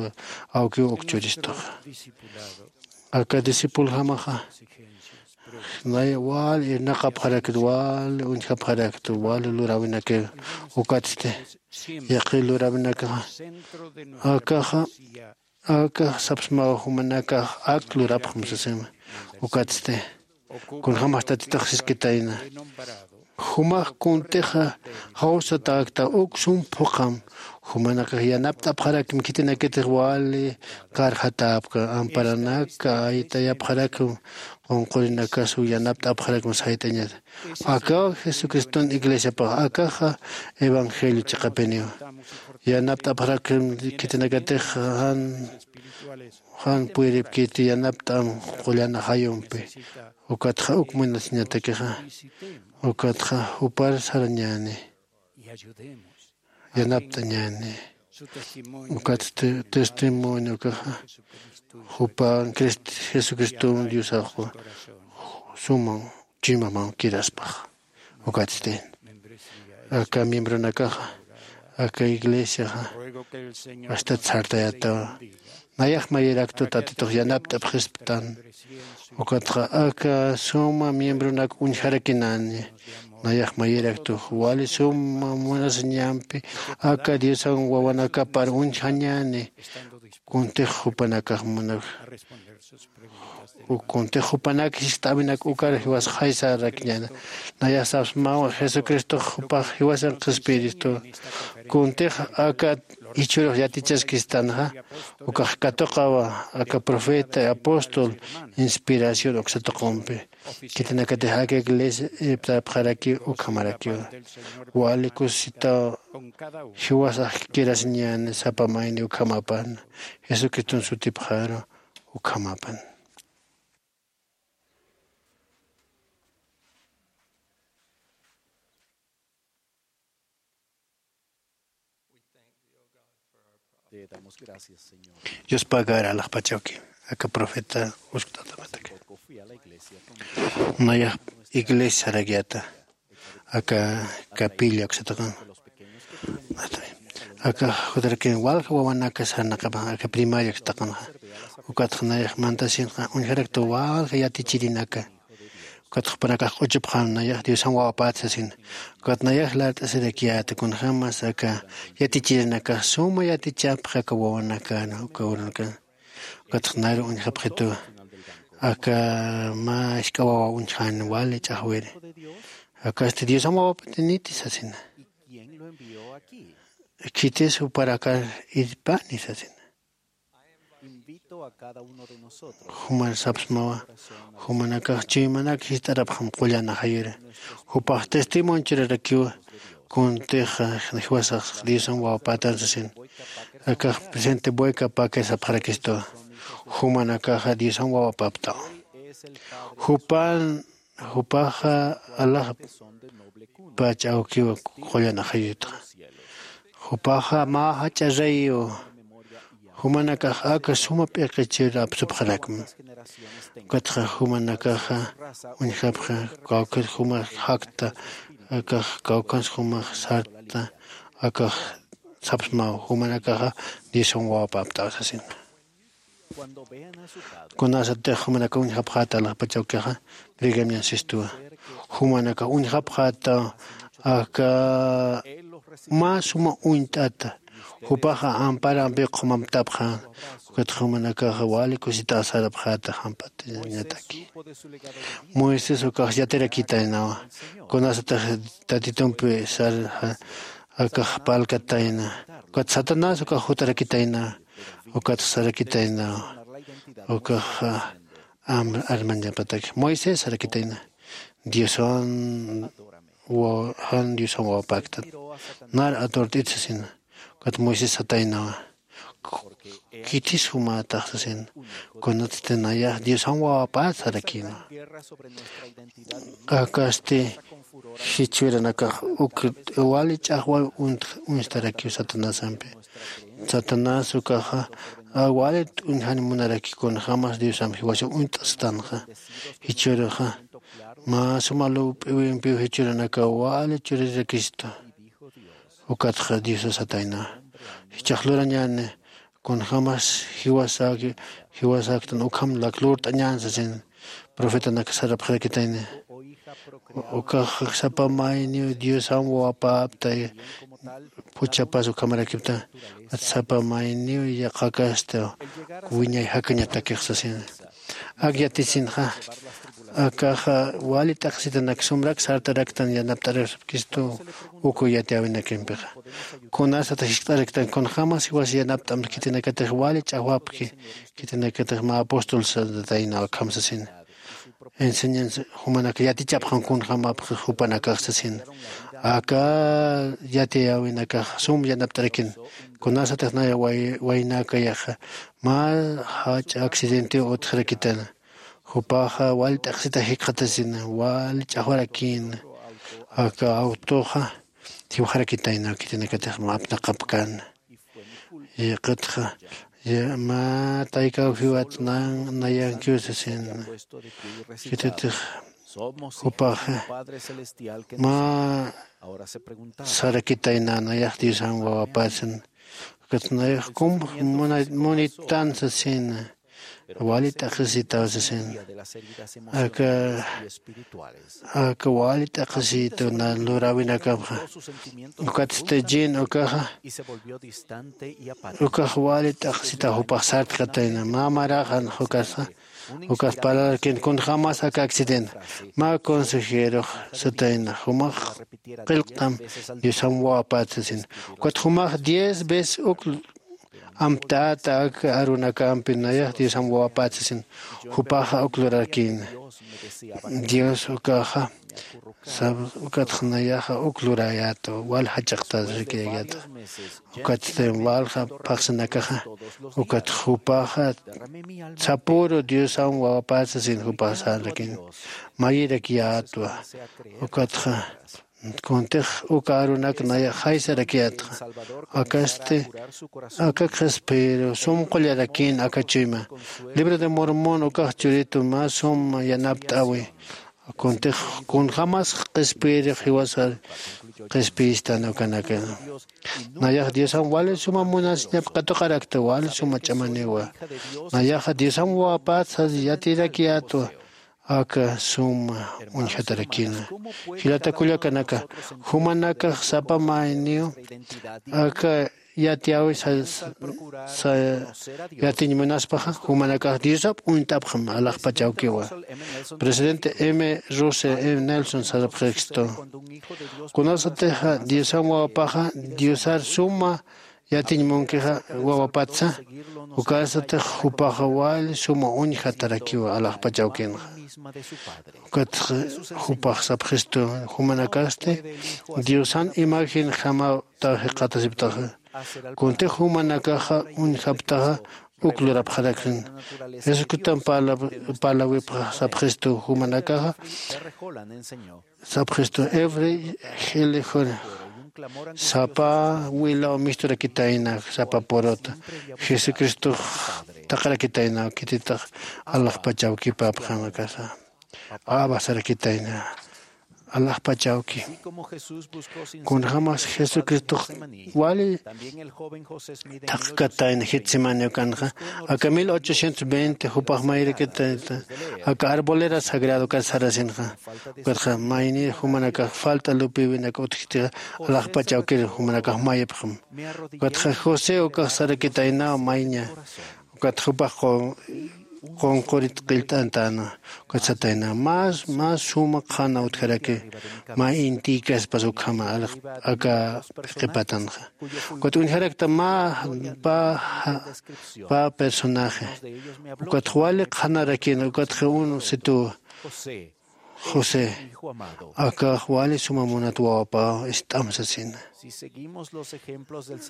awkiw ukchuristuxa aka discipuljamaxa nay wali irnaqapxaraktu wali uñjapxaraktu wali luräwinakiw ukatsti yaqi luräwinakaxa akaxa akax sapsmaw jumanakax ak lurapxam sasima ukatsti kunjämas tatitux siskitayna jumax kuntixa jawsatäkta uk sum phuqham jumanakax yanapt'apxarakmi khitinakitix wali karxatäpka amparanaka aytayapxarakmi qunqurinakasu yanapt'apxarakmi sayt'añata akaw jesucriston iglesiapax akaxa evangelio chiqapiniwa yanapt'apxarakmi khitinakatix jan jan puyripkiti yanapt'am qullana jayumpi ukatxa uk munasiñatakixa ukatxa jupar sarañäni yanapt'añäni ukatsti testimoniokaxa jupan jesucriston diosaxwa suman chuymaman kiraspax ukatsti aka miembronakaxa aka iglesiaxa astat sartayatawa nayax mayiraktu tatitux yanapt'apxisptan ukatxa aka suma miembronak uñjarakinani nayax mayiraktu wali suma munasiñampi aka diosan wawanakapar uñjañani kuntix jupanakax munak kuntix jupanak jist'äwinak ukar jiwas jaysarakiñäni nayax sapsmaw jesucristox jupax jiwasan qhispiyiristu kuntix aka jichhürux yatichaskistanxa ukax katuqawa aka profeta apóstol inspiración uksa tuqumpi khitinakatix aka iglesia irptapxarakiw ukhamarakiwa wali kusisitaw jiwasax kirasiñäni sapa mayni ukhamapan jesucriston sutipxaru ukhamapan Dios pagar alaxpachawki aka profeta uskt'atamataki Nayax iglesia sarakyäta aka capilla uksataqan. Aka jutarakin walja wawanaka sarnaqapan aka primaria uksataqanxa. Ukatxa nayax mantasinxa uñjarakta walja yatichirinaka. Ukatxa jupanakax q'uchupxam nayax diosan wawapät sasin. Ukat nayax lart'asirakyäta kunjämas aka yatichirinakax suma yatichapxi aka wawanakana uka urunakana. Ukatxa nayaru uñjapxitu aka mä isk'a wawa uñjani wali ch'axwiri. Akasti diosan wawapatiniti sasina. Khitis juparakar irpani sasina. Juman sapsmawa jumanakax chuymanak jist'arapxam qullan ajayuri. Jupax testimonio churarakiwa kuntix jiwasax diosan wawapätan sasin. Akax presente bueyka pakir sapxarakistuwa. Jumanakaxa diosan wawapaptaw. Jupan jupaxa alaxpach awkiwa qullan ajayutxa. Jupaxa mä jach'a reyu. Jumanakax aka suma p'iqichir apsupxarakma. Ukatxa jumanakaxa uñjapxa kawkir jumax jakta akax kawkans jumax sarta. Akax sapsmaw jumanakaxa diosan wawapaptaw sasin. Kunasatix jumanaka uñjapxäta alaxpach awkixa brigamian sistuwa. Jumanaka uñjapxäta aka mä suma uñt'ata. Jupaxa amparampi qhumamtapxä. Ukatxa jumanakaxa wali kusitaw sarapxäta jamp'atiñataki. Moisés ukax yatirakitaynawa kunasatix tatitumpi sar akax parlkatayna. Ukat satanás ukax jutarakitayna. Ukat sarakitayna ukax armañapatak moisés sarakitayna. Dioswan jan dioswan wawapäktat nar aturt'it sasina. Ukat moisés sataynawa khitis jumätax sasina. Kunatsti nayax dioswan wawapät sarakïna. Akasti jichwiranakax uk wali ch'axwaw uñstarakiw satanasampi. Satanás ukaxa wali t'uñjani munaraki kunjämas diosamp jiwasa uñt'astanxa. Jichhüruxa mä suma lup'iwimpiw jichhüranakaw wali churirakistu. Ukatxa diosa satayna jichhax lurañäni kunjämas jiwasäktan ukham lak lurt'añän sasin. Profetanak sarapxirakitayni ukax sapa mayniw diosan wawapaptay. Puchapas ukhamarakipta sapa mayniw yaqhakasta wiñay jakañatakix sasin. Ak yatisinxa akaxa wali t'aqsitanak sumrak sartaraktan yanapt'arapkistu. Uku yatiyäwinakimpixa kunasat jiskt'araktan kunjämas jiwas yanapt'am khitinakatix wali ch'axwapki. Khitinakatix mä apóstol satayna akham sasin. Enseñanza jumanak yatichapxam kunjämapxi jupanakax sasin. Aka yatiyäwinakax sum yanapt'arakin. Kunasatix nay waynakayaxa mä jach'a accidentiw utjirakitan. Jupaxa wal t'aqsita jikxatasina wal ch'axwarakïna. Aka awtuxa jiwxarakitayna khitinakatix mä apnaqapkän. Yaqatxa mä taykaw jiwat nayankiw sasin. Khitatix jupaxa mä sarakitayna nayax diosan wawapäsin. Ukat nayax kum munitan sasin. Wali t'aqsisitaw sasin. Aka aka wali t'aqsisitaw na luräwinakapxa. Ukatsti jin ukaxa ukax wali t'aqsitaw jupax sartkatayna mä maraxan jukasa. Ukax parlarkin kunjämas aka accidente mä consejerox satayna jumax qillqtam diosam wawapät sasin. Ukat jumax diez veces uk amtäta ak arunakampi nayax diosan wawapät sasin. Jupaxa uk lurarkïna. Dios ukaxa ukatxa nayaxa uk lurayäta wal jach'aqtät rikirakyäta. Ukatsti walja phaxsinakaxa ukat jupaxa sapüru diosan wawapät sasin jupax sarnakïna. Mayirakyätwa ukatxa Kuntix uka arunak nayax jaysarakiyätxa. Akasti aka qhispiru sum qullarakïn aka chuyma. Libro de Mormon ukax churitu mä sum yanapt'äwi. Kuntix kunjämas qhispiyirix jiwasar qhispiyistan ukanaka. Nayax Diosan wali suma munasiñap katuqarakta wali suma ch'amaniwa. Nayaxa Diosan wawapät sas yatirakiyätwa. Aka suma uñjatarakina. Jilata kullakanaka, jumanakax sapa mayniw aka yatiyäwi sa- sa- yatiñ munaspaxa, jumanakax Diosap uñt'apxam alaxpach awkiwa. Presidente M Russell M Nelson sarapxistu, kunasatixa Diosam wawapaxa Diosar suma yatiñ munkixa wawapatsa, ukasatix jupaxa wali suma uñjatarakiwa alaxpach awkinxa. Ukatxa jupax sapxistu, jumanakasti Diosan imagen jamaw ta jiqatasiptaxa. Kuntix jumanakaxa uñjaptaxa uk lurapxarakxin. Jesucriston parla- parlawipxa sapxistu, jumanakaxa sapxistu, efre jili jun sapa wilaw misturakitayna, sapa puruta Jesucristox taqarakitayna, khititix alaxpach awkipapxanakasa. Abasarakitayna alaxpach awki. Kunjämas Jesucristox wali thaqkatayna Getsemaní ukanxa, aka mil ochocientos veinte jupax mayrakitayta aka arbolera sagrado ukat sarasinxa. Ukatxa maynir jumanakax falta lupiwinak utjkitixa alaxpach awkir jumanakax mayipxam. Ukatxa José ukax sarakitaynaw mayña. Ukat jupax qu- qunqurit qillt'antäna. Ukat satayna, más más suma qhana utjaraki mä intïkaspas ukhama alax- aka qhipatanxa. Ukat uñjarakta mä pä pä personaje. Ukatxa wali qhanarakina, ukatxa un situwa. José, akax wali suma munat wawapaw ist'am sasina.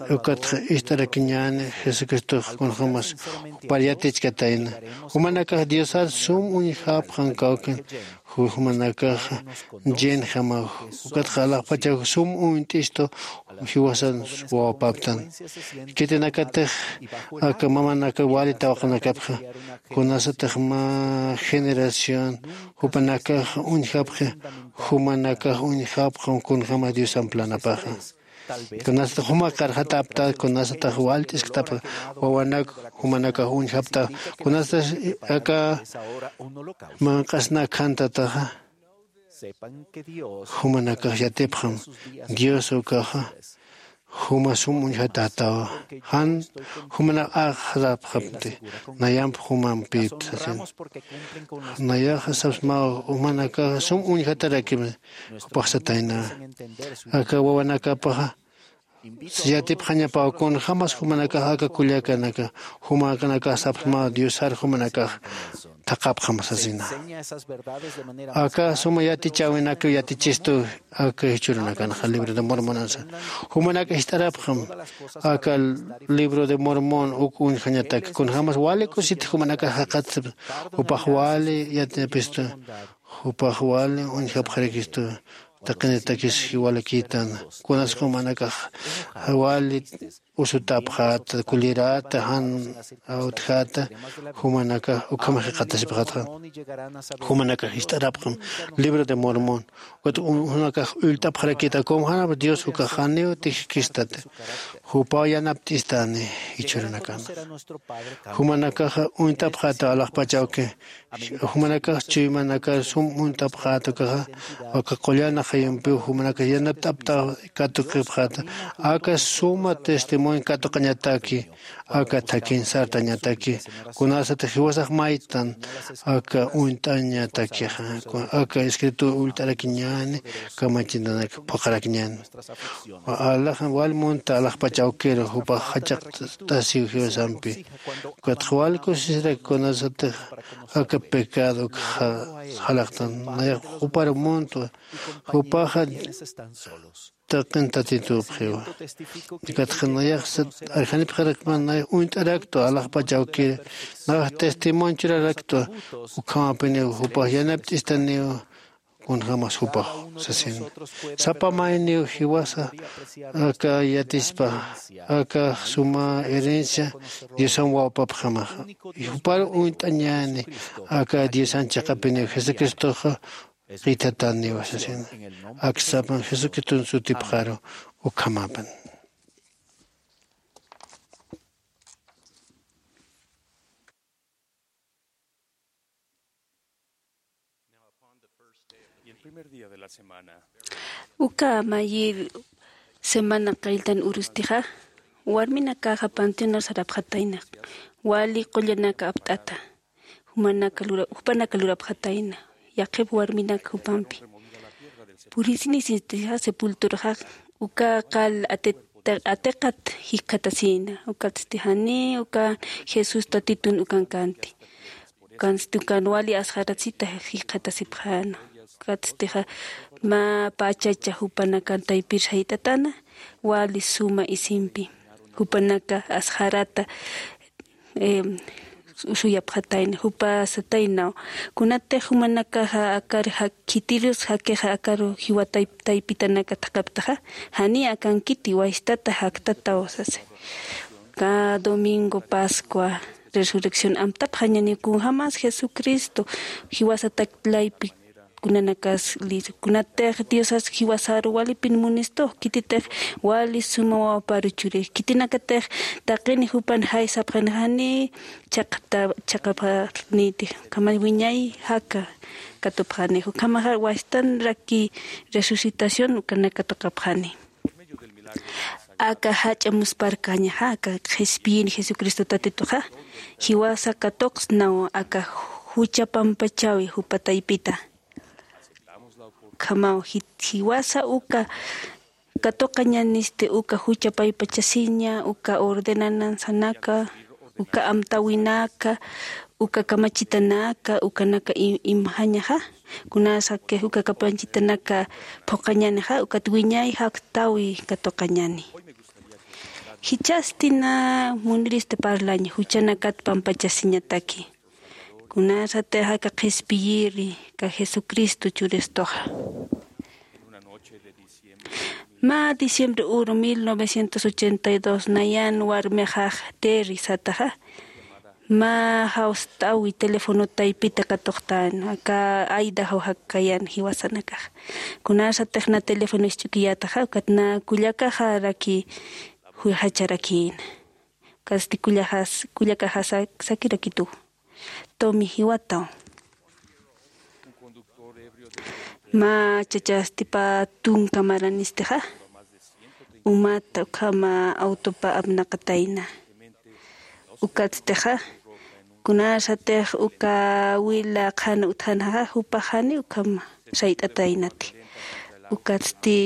Ukatxa ist'arakiñäni Jesucristox kunjämas jupar yatichkatayna. Jumanakax Diosar sum uñjapxam kawkin, ju- jumanakax llenjamaw. Ukatxa alaxpachaw sum uñt'istu jiwasan wawapaptan. Khitinakatix aka mamanaka wali tawaqanakapxa, kunasatix mä generación jupanakax uñjapxi, jumanakax uñjapxam kunjämas Diosan planapaxa. Kunasatix juma qarxatapta, kunasatix walt'isktapxa, wawanak jumanakax uñjapta, kunasatix aka manq'asna khantätaxa, jumanakax yatipxam Dios ukaxa juma sum uñjatätawa. Jan jumanakax axsarapxamti, nayamp jumampïpta sasin. Nayaxa sapsmaw, jumanakax sum uñjatarakim, jupax satayna. Aka wawanakapaxa yatipxañapaw kunjämas jumanakax aka kullakanaka, jumanakax sapsmaw Diosar jumanakax thaqhapxam sasina. Aka suma yatichäwinakaw yatichistu aka jichhürunakanxa, Libro de Mormonansa. Jumanakax jist'arapxam aka Libro de Mormon uk uñjañatak, kunjämas wali kusit jumanakax jaqat, jupax wali yatiñapistu, jupax wali uñjapxarakistu, taqinitakis jiwalakïtan, kunas jumanakax wali usutapxäta, kulliräta, jan utjäta, jumanakax ukham jikxatasipxätxa. Jumanakax jist'arapxam Libro de Mormon. Ukat jumanakax ullt'apxarakïta, kunjämas Dios ukax janiw tijkistati, jupaw yanapt'istani jichhürunakan. Jumanakaxa uñt'apxäta alaxpach awki, jumanakax chuymanakar sum uñt'apxäta ukaxa, aka qullan ajayumpiw jumanakax yanapt'apta katuqipxäta, aka suma testimonio katuqañataki, aka thakhin sartañataki, kunasatix jiwasax maytan aka uñt'añatakixa, aka escrito ullt'arakiñäni kamachinanak phuqharakiñäni. Alax wal munta alaxpach awkiru, jupax jach'aqt'asiw jiwasampi. Ukatxa wal kusisiraki kunasatix aka pecado ukxa jalaqtan, nayax jupar muntwa, jupaxa taqin Tatitupxiwa. Ukatxa nayax arjanipxarakman, nayax uñt'araktwa alaxpach awkir, nayax testimonio churaraktwa, ukhamapiniw jupax yanapt'istaniw, kunjämas jupax sasina. Sapa mayniw jiwasa aka yatispa aka suma herencia Diosan wawpapxamaxa. Y jupar uñt'añäni aka Diosan chiqapiniw Jesucristoxa qithataniw sasina. Aksapan Jesucriston sutipxaru ukhamapan. Uka mayir semana qalltan urustixa, warminakaxa panteonar sarapxatayna, wali qullanaka apt'ata, jumanaka lura-, jupanaka lurapxatayna, yaqhip warminak jupampi. Purisinisistixa sepulturaxa uka qal ati-, atiqat jikxatasïna, ukatsti jani ukan Jesús Tatitun ukan kanti. Ukansti ukan wali asxaratsita jikxatasipxäna. Ukatstixa mä pachacha jupanakan taypir sayt'atäna, wali suma isimpi. Jupanaka asxarata, em, usuyapxatayna, jupa sataynaw. Kunatix jumanakaxa akar ja-, khitirus jakixa akaru jiwa tay-, taypitanaka thaqhaptaxa, janiy akankiti, wastata jaktataw sasa. Cada domingo Pascua, Resurrección, amtapxañäni kunjämas Jesucristo jiwasatak laypi kunanakas liso. Kunatix Diosas jiwasaru walipin munistux, khititix wali suma wawaparu churix. Khitinakatix taqini jupan jay sapxani jani chaqta-, chaqapxaniti. Ukhama wiñay jaka katupxani. Ukhamaxa wastanraki resucitación ukanaka tuqapxani. Aka jach'a musparkañaxa, aka qhispiyini Jesucristo Tatituxa, jiwasa katuqsnaw aka jucha pampachawi jupa taypita. Ukhamaw ji-, jiwasa uka katuqañänisti uka jucha paypachasiña, uka ordenanzanaka, uka amtawinaka, uka kamachitanaka, ukanaka i-, imxañaxa, kunasakix uka kamachitanaka phuqhañänixa, ukat wiñay jaktawi katuqañäni. Jichhasti na muniristi parlaña, juchanakat pampachasiñataki. Kunasatix aka qhispiyiri, aka Jesucristo churistuxa. Mä diciembre uru mil novecientos ochenta y dos nayan warmixax Terry sataxa, mä jawst'awi teléfono taypita katuqtän, aka Idaho jakayan jiwasanakax. Kunasatix na teléfono isch'ukiyätaxa, ukat na kullakaxaraki juyjacharakïna. Ukatsti kullajas-, kullakaxasa sakirakitu. Tumi jiwataw. Mä chachasti pä tunka maranistixa, umata ukhama autopa apnaqatayna. Ukatstixa, kunasatix uka wila qhan utjanxa, jupax jani ukhama sayt'ataynati. Ukatsti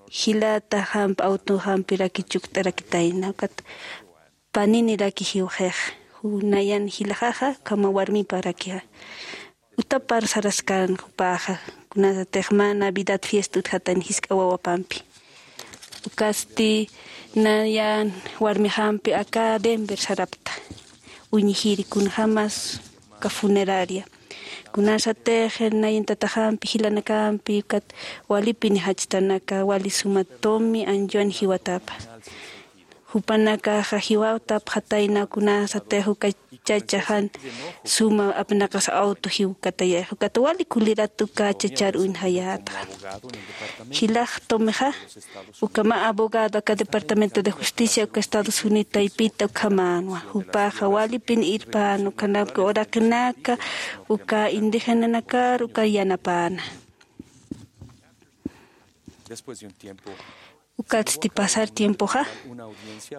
jilata jampi, auto jampiraki chukt'arakitayna. Ukat paniniraki jiwxix, ju nayan jilaxaxa, ukhama warmiparakixa. Utapar saraskan jupaxa, kunasatix mä Navidad fiesta utjatan jisk'a wawapampi. Ukatsti nayan warmixampi aka Denver sarapta, uñjiri kunjämas uka funeraria. Kunasatix nayan tataxampi, jilanakampi, ukat walipini jachtanaka, wali suma tumi anchuwan jiwatapa. Jupanakaxa jiwatapxatayna, kunasatix uka chacha jan suma apnaqas auto jiwkatayay, ukat wali kulirat uka chachar uñjayätxa. Jilax tumixa, ukhama abogado aka Departamento de Justicia uka Estados Unidos taypita ukhamänwa. Jupaxa walipin irpän, ukanaka uraqinaka, uka indígenanakar, uka yanapäna. Ukatsti pasar tiempoxa,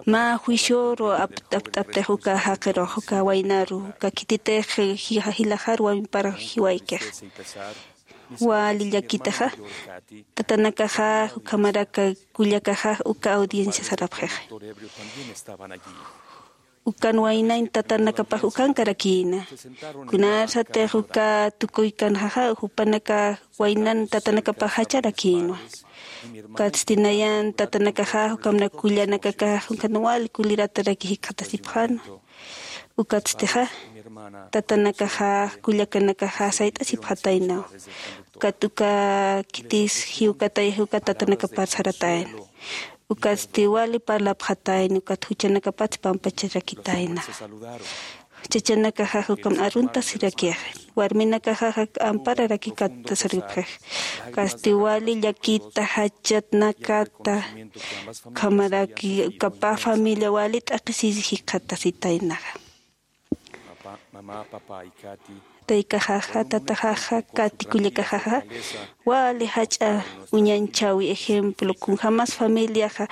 mä juicioru ap-, apt'aptix uka jaqirux, uka waynaru, uka khititix ji-, jilaxar wawinpar jiwaykix. Wali llakitaxa, tatanakaxa, ukhamaraki kullakaxa, uka audiencia sarapxixa. Ukan waynañ tatanakapax ukankarakïna. Kunasatix uka tukuykanxaxa, jupanaka waynan tatanakapax jacharakïnwa. Ukatsti nayan tatanakaxa, ukhamarak kullanakakax, ukan wali kulirataraki jikxatasipxänwa. Ukatstixa tatanakaxa kullakanakaxa sayt'asipxataynaw. Ukat uka khitis jiwkatay jiwka tatanakapar saratayna. Ukatsti wali parlapxatayna ukat juchanakapatsi pampacharakitayna. Chachanakaxax ukam aruntasirakixa. Warminakaxaxa ampararakikattasaripxix. Ukatsti wali llakita jachatnakata ukhamaraki ukapa familia wali t'aqhisisi jikxatasitaynaxa. Taykaxaxa tataxaxa kati kullakaxaxa wali jach'a uñanchäwi ejemplo kunjämas familiaxa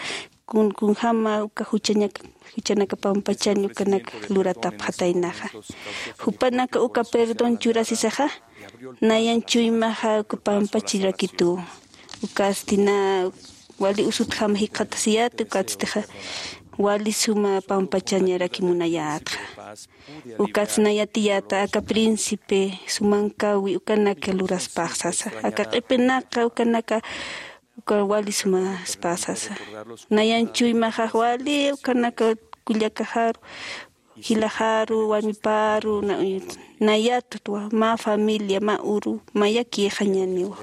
kun kunjäma uka juchañak juchanaka pampachañ ukanak luratapxataynaxa. Jupanaka uka perdón churasisaxa nayan chuymaxa uka pampachirakitu. Ukatsti na wali usutjama jikxatasiyät ukatstixa wali suma pampachañaraki munayätxa. Ukatsti na yatiyäta aka príncipe sumankäwi ukanaka luraspax sasa aka q'ipinaka ukanaka uka wali sumaspa sasa. Nayan chuymaxax wali ukanaka kullakaxaru jilaxaru warmiparu nayatutwa mä familia mä uru mayakixañaniwa.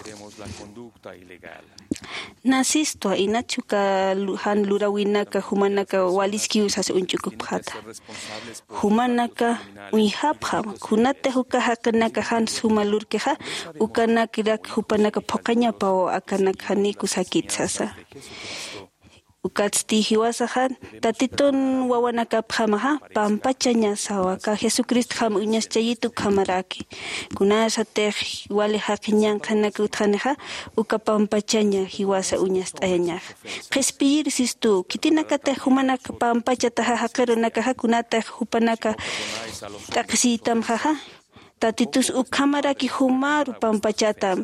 Nasistwa inach uka jan lurawinaka jumanaka waliskiw sasa uñch'ukupxata. Jumanaka uñjapxam kunatix uka jaqinaka jan suma lurkixa ukanakirak jupanaka phuqañapaw akanak janiku sakit sasa. Ukatsti jiwasaxa tatitun wawanakapjamaxa pampachañasawa ka jesucristjam uñaschayitu ukhamaraki. Kunasatix wali jaqi ñanqhanaka utjanixa uka pampachaña jiwasa uñast'ayañaxa. Qhispiyir sistu khitinakatix jumanaka pampachataxa jaqirunakaxa kunatix jupanaka t'aqhisiytamxaxa. Tatitus ukhamaraki jumaru pampachatam.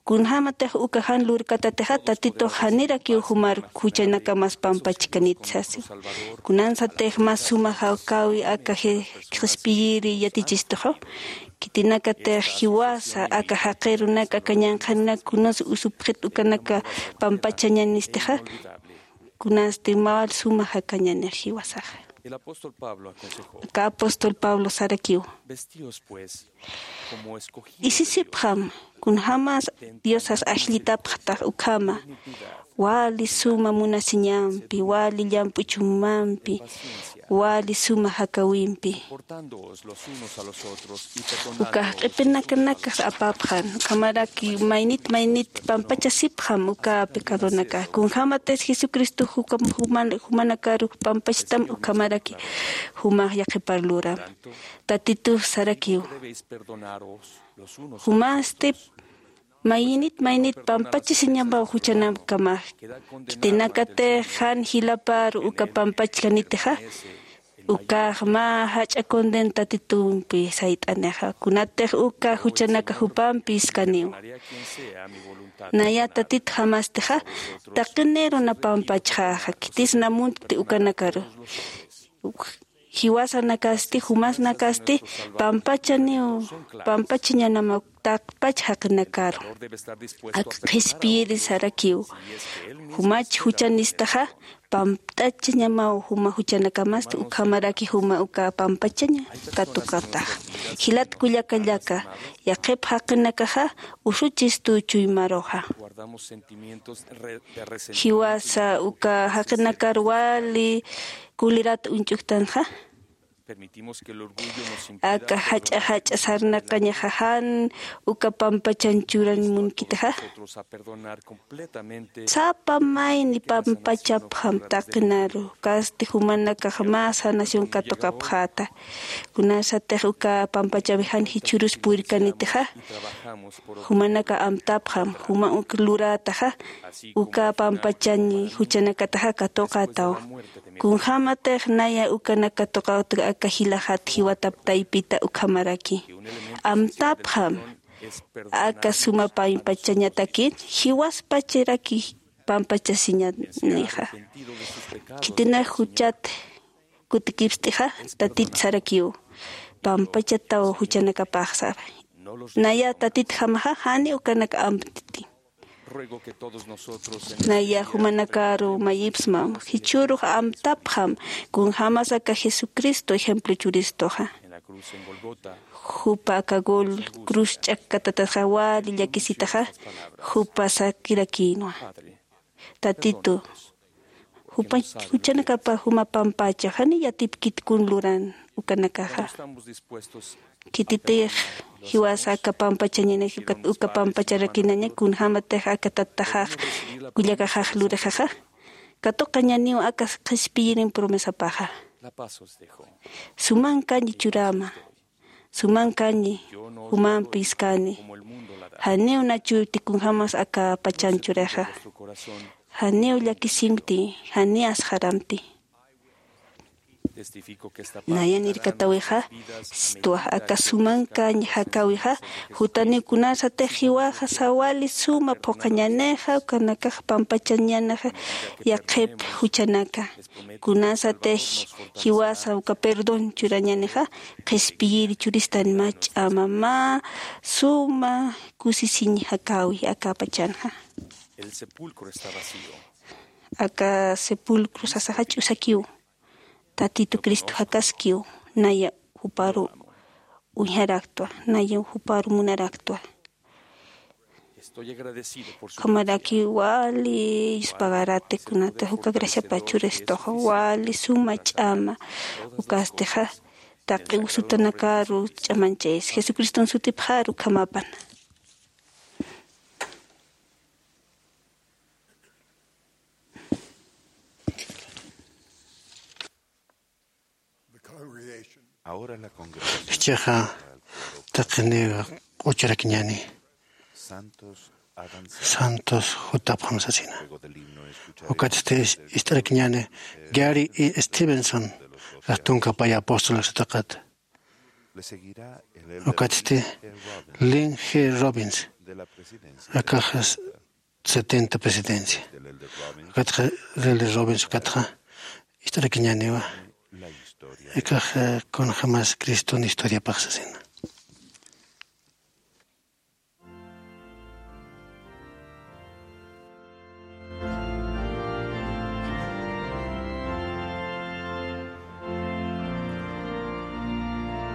Kunjämatix uka jan lurkatatixa tatitux janirakiw jumar juchanakamas pampachkanit sasi. Kunansatix mas suma jawkäwi aka qhispiyiri yatichistuxa. Khitinakatix jiwasa aka jaqirunaka aka ñanqhanaka kunas usupxit ukanaka pampachañanistixa. Kunasti mä suma jakañanix jiwasaxa. Aka apóstol pablo sarakiw. Isisipxam kunjämas diosas ajllitapxtax ukhama wali suma munasiñampi wali llamp'u chumampi wali suma jakäwimpi. Ukax q'ipinakanakax apapxan ukhamaraki maynit maynit pampachasipxam uka pecadonakax kunjämatis jesucristo jumanakaru pampachtam ukhamaraki jumax yaqhipar luram. Tatitux sarakiw jumasti maynit maynit pampachasiñamaw juchanakamax. Khitinakatix jan jilaparu uka pampachkanitixa ukax mä jach'a conden tatitumpi sayt'anixa kunatix uka juchanaka jupampi iskaniw. Naya tatitjamastixa taqiniruna pampachxaxa khitisna muntkti ukanakaru. Jiwasanakasti jumasnakasti pampachaniw pampachañanamaw taqpach jaqinakaru. Ak qhispiyiri sarakiw jumach juchanistaxa pampt'achañamaw juma juchanakamasti ukhamaraki juma uka pampachaña katuqataxa. Jilat kullakallaka yaqhip jaqinakaxa usuchistu chuymaruxa. Jiwasa uka jaqinakar wali kulirat uñch'uktanxa. Aka jach'a jach'a sarnaqañaxa jan uka pampachan churan munkitixa. Sapa mayni pampachapxam taqinaru kasti jumanakax mä sanación katuqapxäta. Kunasatix uka pampachawi jan jichhürus purkanitixa jumanaka amtapxam juma uk lurätaxa uka pampachañ juchanakataxa katuqätaw. Kunjämatix naya ukanak katuqawta aka jilaxat jiwatap taypita ukhamaraki amtapxam aka suma pampachañatakit jiwaspachiraki pampachasiñanixa. Khitinax juchat kutikipst'ixa tatit sarakiw pampachataw juchanakapaxsa. Naya tatitjamaxa jani ukanak amtiti. Naya jumanakaru mayipsmam, jichhürux amtapxam, kunjämas aka Jesucristo ejemplo churistuxa. Jupa aka gol cruz ch'akkatatatxa wali llakisitaxa, jupa sakirakïnwa. Tatitu, jupa juchanakapa juma pampacha, jani yatipkit kun luran ukanakaxa. Khititix jiwasa aka pampachañanix, uka, uka pampacharakinaña, kunjämatix aka tataxax, kullakaxax lurixaxa. Katuqañaniw aka qhispiyirin promesapaxa. Sumankañi churäma. Sumankañi, jumampi iskani. Janiw nachuti kunjämas aka pachan churixa. Janiw llakisimti, janiw asxaramti. Nayan irkatäwixa, sistuwa aka sumankañ jakäwixa, jutaniw kunasatix jiwaxa sawali suma phuqhañänixa, ukanakax pampachañänixa, yaqhip juchanaka. Kunasatix jiwasa uka perdón churañänixa, qhispiyiri churistan mä ch'ama, mä suma kusisiñ jakäwi aka pachanxa. Aka sepulcro sasaxa ch'usakiw, Tatitu Cristo jakaskiw, naya juparu uñjaraktwa, naya juparu munaraktwa. Ukhamaraki wali yuspagarati kunata uka graciapa churistuxa, wali suma ch'ama ukastixa, taqi usutanakaru ch'amanchayis. Jesucriston sutipxaru ukhamapan. Jichhaxa taqiniw q'uchurakiñäni. Santos jutapxam sasina. Ukatsti ist'arakiñäni Gary E. Stevenson, tunka pay apóstol satakat. Ukatsti Lynn G. Robbins, akax setenta presidencia. Ukatxa Lynn G. Robbins, ukatxa ist'arakiñäniwa. Akax kunjämas Criston historiapax sasina.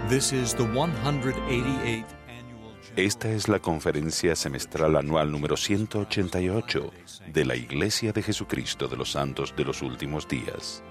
This is the one hundred eighty-eighth annual general. Esta es la conferencia semestral anual número ciento ochenta y ocho de la Iglesia de Jesucristo de los Santos de los Últimos Días.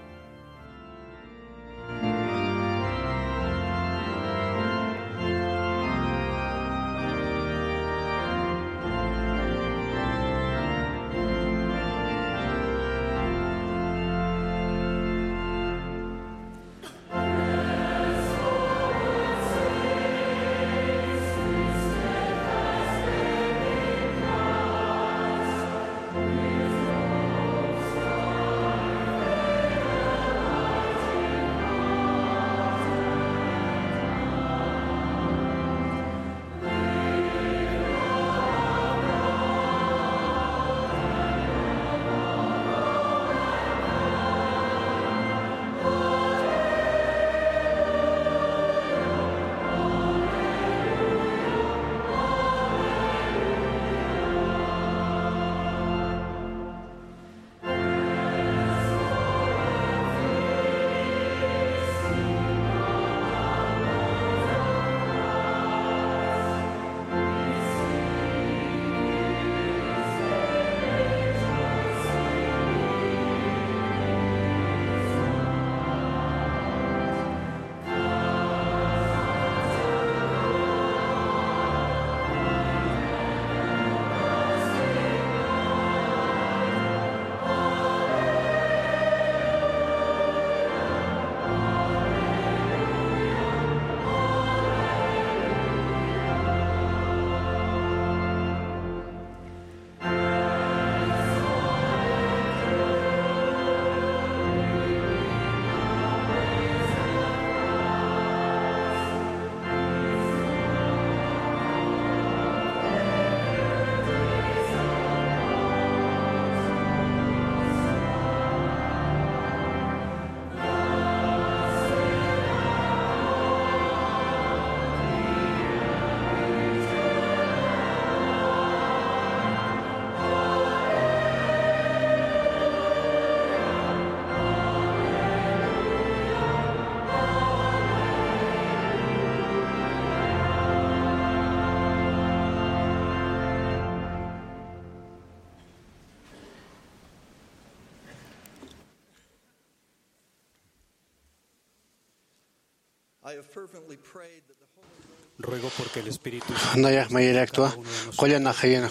Nayax mayiraktwa, qullanaxayan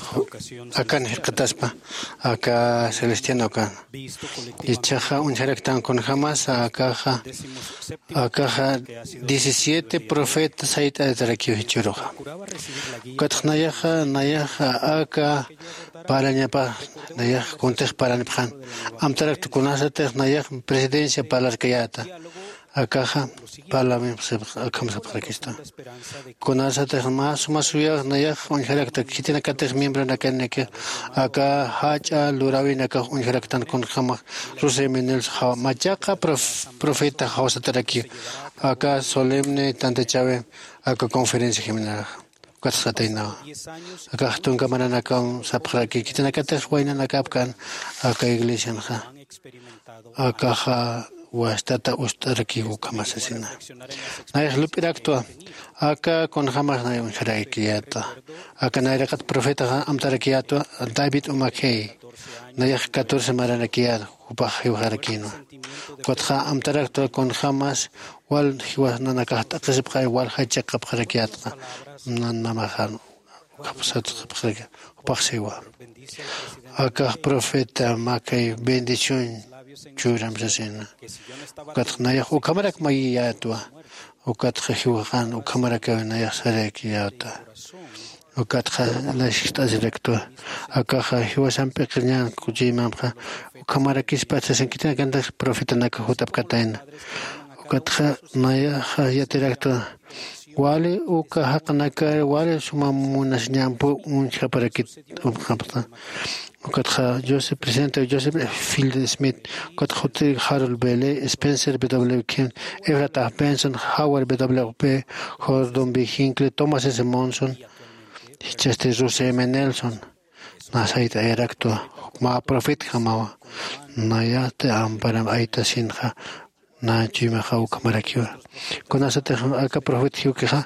akan jikxataspa aka celestiano kan. Ichaxa uñjaraktan kunjämas akaxa akaxa diecisiete profeta sayt'atarakiw jichhüruxa. Ukatx nayaxa nayaxa aka parlañapax nayax kuntix parlanipxän. Amtarakt kunasatix nayax presidencia parlarkayäta akaxa parlamin akham sapxarakista. Kunasatix mä suma suyax nayax uñjarakta khitinakatix miembronakanak aka jach'a luräwinakax uñjaraktan kunjämax ruseminilsa jawa machaqa profeta jawsatarakiw aka solemne tantachäwi aka conferencia jiminaraxa. Ukatxataynawa akax tunka maranakam sapxaraki khitinakatix waynanakapkan aka iglesianxa akaxa wastata ust'arakiw ukhamasasina. Nayax lup'iraktwa aka kunjämas nay uñjarakiyäta aka nayraqat profetaxa amtarakiyätwa david umakey. Nayax catorce maranakiyät jupax jiwxarakïnwa. Ukatxa amtaraktwa kunjämas wal jiwasnanakax t'aqhisipxay wal jachaqapxarakiyätxa nanmamaxan ukapsatxapxaraki. Jupaxsiwa akax profeta makay bendición churam sasina. Ukatxa nayax ukhamarak mayiyätwa ukatxa jiwxan ukhamarakaw nayax sarakiyäta. Ukatxa nayax jist'asiraktwa akaxa jiwasamp p'iqirñan kuchiymamxa ukhamarakispat sasin khitinakantix profetanaka jut'apkatayna. Ukatxa nayaxa yatiraktwa wali uka jaqnakar wali suma munasiñampu uñjaparakit upxapxta. Ukatxa joseph presidente joseph fielding smith ukatxa jutir harold bele spencer w kim efrata benson howard w p gordon b hinckley thomas s monson jichhasti rusi m nelson. Nasayt'ayaraktwa mä profetjamawa nayati amparam aytasinxa. Nä chuymaxa ukhamarakiwa kunasatix aka profeta jiwkixa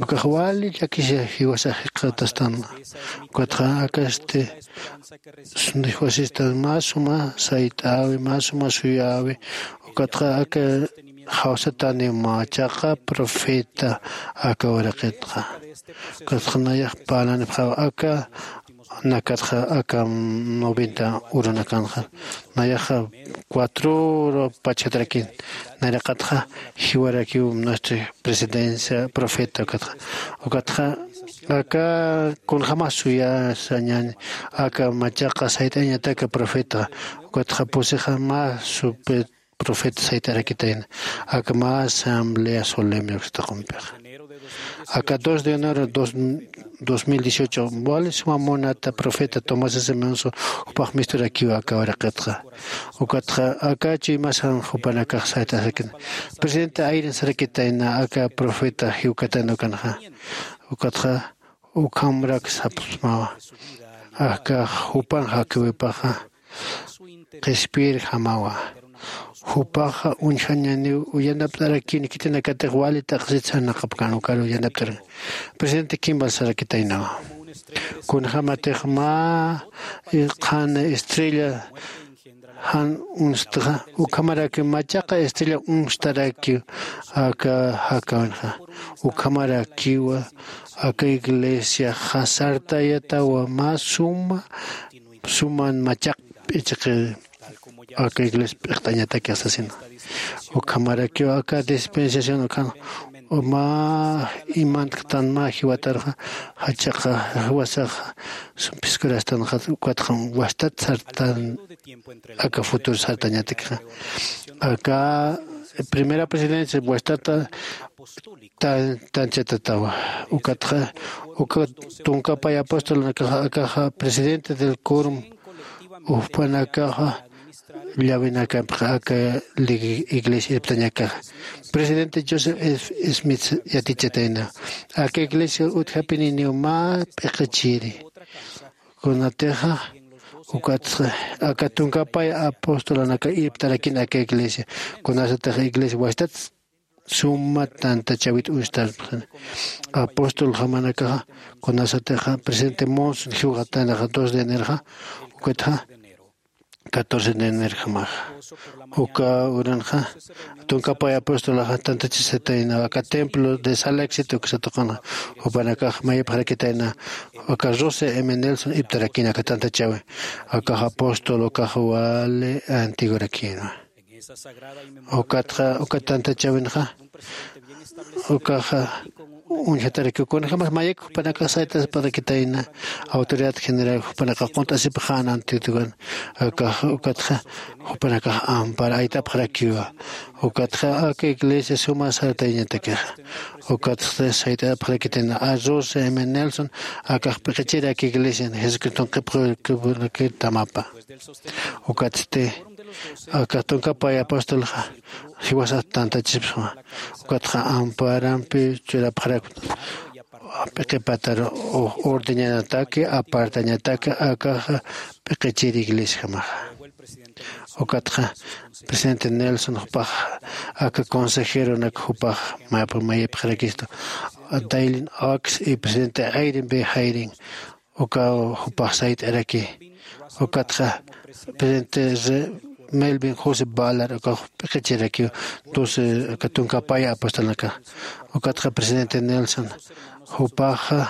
ukax wali llakisa jiwasax jikxatastanwa. Ukatxa akasti jiwasistan mä suma sayt'äwi mä suma suyäwi. Ukatxa aka jawsataniw machaqa profeta aka uraqitxa. Ukatxa nayax parlanipxäwa aka nakatxa aka noventa urunakanxa nayaxa cuatro uru pachjatarakin. Nayraqatxa jiwarakiw nuestra presidencia profeta ukatxa ukatxa aka kunjämas suyasa ñan aka machaqa sayt'añataka profeta ukatxa pusixa mä supe profeta sayt'arakitayna aka mä asamblea solemne uksta qumpixa. Aka dos de enero dos mil dieciocho wali suma munata profeta tomás s monson jupax misturakiw aka uraqitxa. Ukatxa aka chuymasan jupanakax sayt'asakin presidente ayrin sarakitayna aka profeta jiwkatan ukanxa. Ukatxa ukhamrak sapsmawa aka jupan jakiwipaxa qhispiyirjamawa. Jupaxa uñjañaniw yanapt'arakini khitinakatix wali t'aqsit sarnaqapkan ukaru yanapt'arak. Presidente kimbal sarakitaynawa kunjämatix mä qhan estrella jan uñstxa ukhamaraki machaqa estrella uñstarakiw aka jakawinxa. Ukhamarakiwa aka iglesiaxa sartayatawa mä suma suman machaq p'ichiqi aka iglesia p'iqt'añatakix sasina. Ukhamarakiw aka dispensación ukhan mä imantktan mä jiwatarxa jachaqa jiwasaxa sumphiskurastan ukatxa wastat sartan aka futuro sartañatakxa. Aka primera presidencia wastata tanchatawa ukatxa uka tunkapay apostolnakaxa akaxa presidente del corum upanakaxa llawinakampxa aka iglesia irptañakaxa presidente joseph smith yatichatayna. Aka iglesia utjapininiw mä p'iqichiri kunatixa ukatxa aka tunkapay apostolanaka irptarakin aka iglesia kunasatix iglesia wastat suma tantachawit ustarpxin. Apostol jamanakaxa kunasatixa presidente monson jiwxatanaxa dos de enerxa ukatxa catorce de enerjamaxa. Uka uranxa tunkapay apostolaxa tantachisatayna aka templo de sala éxito uksa tuqanxa. Jupanakax mayipxarakitayna aka rose m nelson iptarakina aka tantachawi. Akax apóstol ukax wali antigurakina. Ukatxa uka tantachawinxa ukaxa uñjatarakiw kunjämas mayik jupanakax saytasparakitayna autoridad general jupanakax qunt'asipxän antitukan. Akax ukatxa jupanakax ampar aytapxarakiwa. Ukatxa aka iglesia suma sartayañatakixa ukatxa sayt'apxarakitayna arrose m nelson akax p'iqichiraki iglesian jesucriston qhipxuraki tamapa. Ukatsti aka tunkapay apostolxa jiwasat tantachispa. Ukatxa amparampi churapxarakta p'iqipatar ordeñanataki apartañataki akaxa p'iqichir iglesiajamaxa. Ukatxa presidente nelson jupax aka consejeronak jupax mayapxarakistu dailin ox y presidente airin b jairin uka jupax sayt'araki. Ukatxa presidente melvin josé balar ukax p'iqichirakiw doce aka tunkapay apostolnakax. Ukatxa presidente nelson jupaxa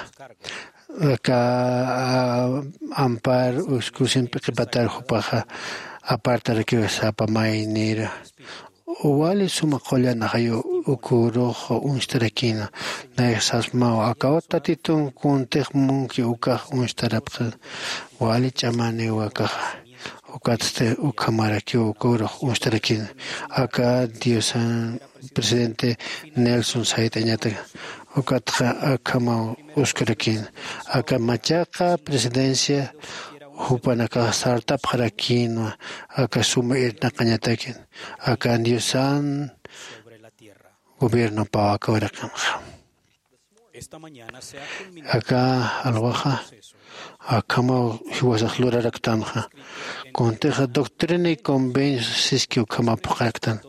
aka ampar uskusin p'iqipatar jupaxa apartarakiw sapa maynir. Wali suma qullan ajayu ukurux uñstarakina. Nayax sasmaw akaw tatitun kuntix munki ukax uñstarapxi. Wali ch'amaniw akaxa ukatsti ukhamarakiw ukurux uñstarakina. Aka diosan presidente nelson sayt'añatak ukatxa akhamaw uskarakina. Aka machaqa presidencia jupanakax sartapxarakinwa aka suma irnaqañatakin akan diosan gobiernopaw aka uraqinxa. Aka alwaxa akhamaw jiwasax luraraktanxa. Kuntixa doctrina y convenio siski ukhama phuqaraktan.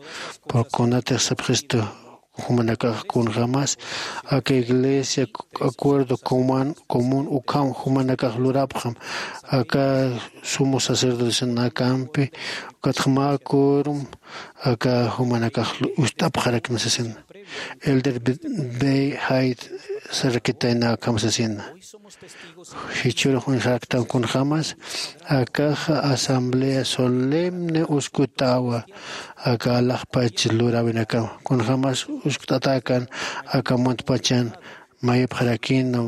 Pur kunatix sapxistu jumanakax kunjämas aka iglesia acuerdo común ukham jumanakax lurapxam aka sumo sacerdocionakampi ukatxa mä quorum aka jumanakax ust'apxarakna sasina. Elder bey jayt sarakitayna akham sasina. Jichhürux uñjaraktan kunjämas akaxa asamblea solemne uskutawa aka alaxpach luräwinakam kunjämas uskt'atäkan aka muntpachan mayipxarakina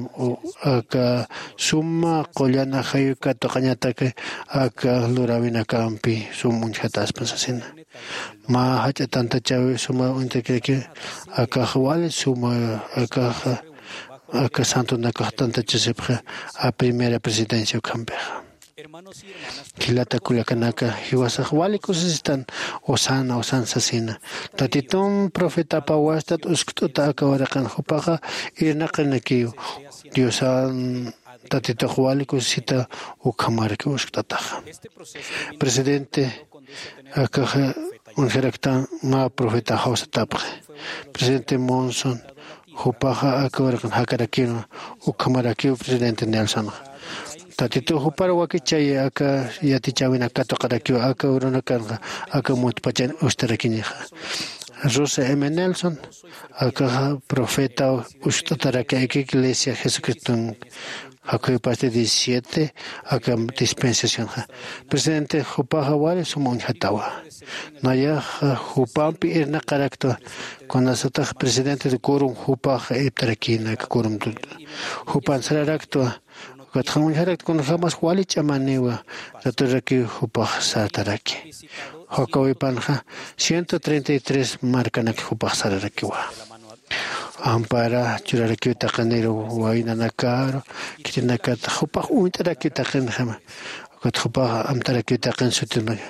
aka suma qullan ajayu katuqañataki aka luräwinakampi sum uñjataspa sasina. Mä jach'a tantachäwi suma uñtakiraki akax wali suma akaxa aka santonakax tantachasipxi a primera presidencia ukhampixa. Jilata kullakanaka jiwasax wali kusisistan usana usan sasina. Tatitun profetapa wastat uskt'uta aka uraqin jupaxa irnaqinakiw diosan tatitux wali kusisita ukhamaraki uskt'ataxa. Presidente akaxa uñjaraktan mä profeta jawsatapxi. Presidente monson jupaxa aka uraqin jakarakinwa ukhamarakiw presidente nelsonxa. Tatituw jupar wakichay aka yatichäwinak katuqarakiw aka urunakanxa aka muntpachan ustarakinixa. Rosa m nelson akaxa profeta uskt'ataraki aka iglesia jesucriston jakhuypasti diecisiete aka dispensacionxa. Presidente jupaxa wali suma uñjatawa. Nayaxa jupampi irnaqaraktwa. Kunasatax presidente de quorum jupaxa iptarakina aka quorum jupan sararaktwa. Ukatxa uñjarakt kunjämas wali ch'amaniwa raturakiw jupax sartaraki. Jakawipanxa ciento treinta y tres markanak jupax sararakiwa. Ampara churarakiw taqinir waynanakaru khitinakatix jupax uñt'arakiw taqinjama. Ukat jupax amtarakiw taqin sutinaka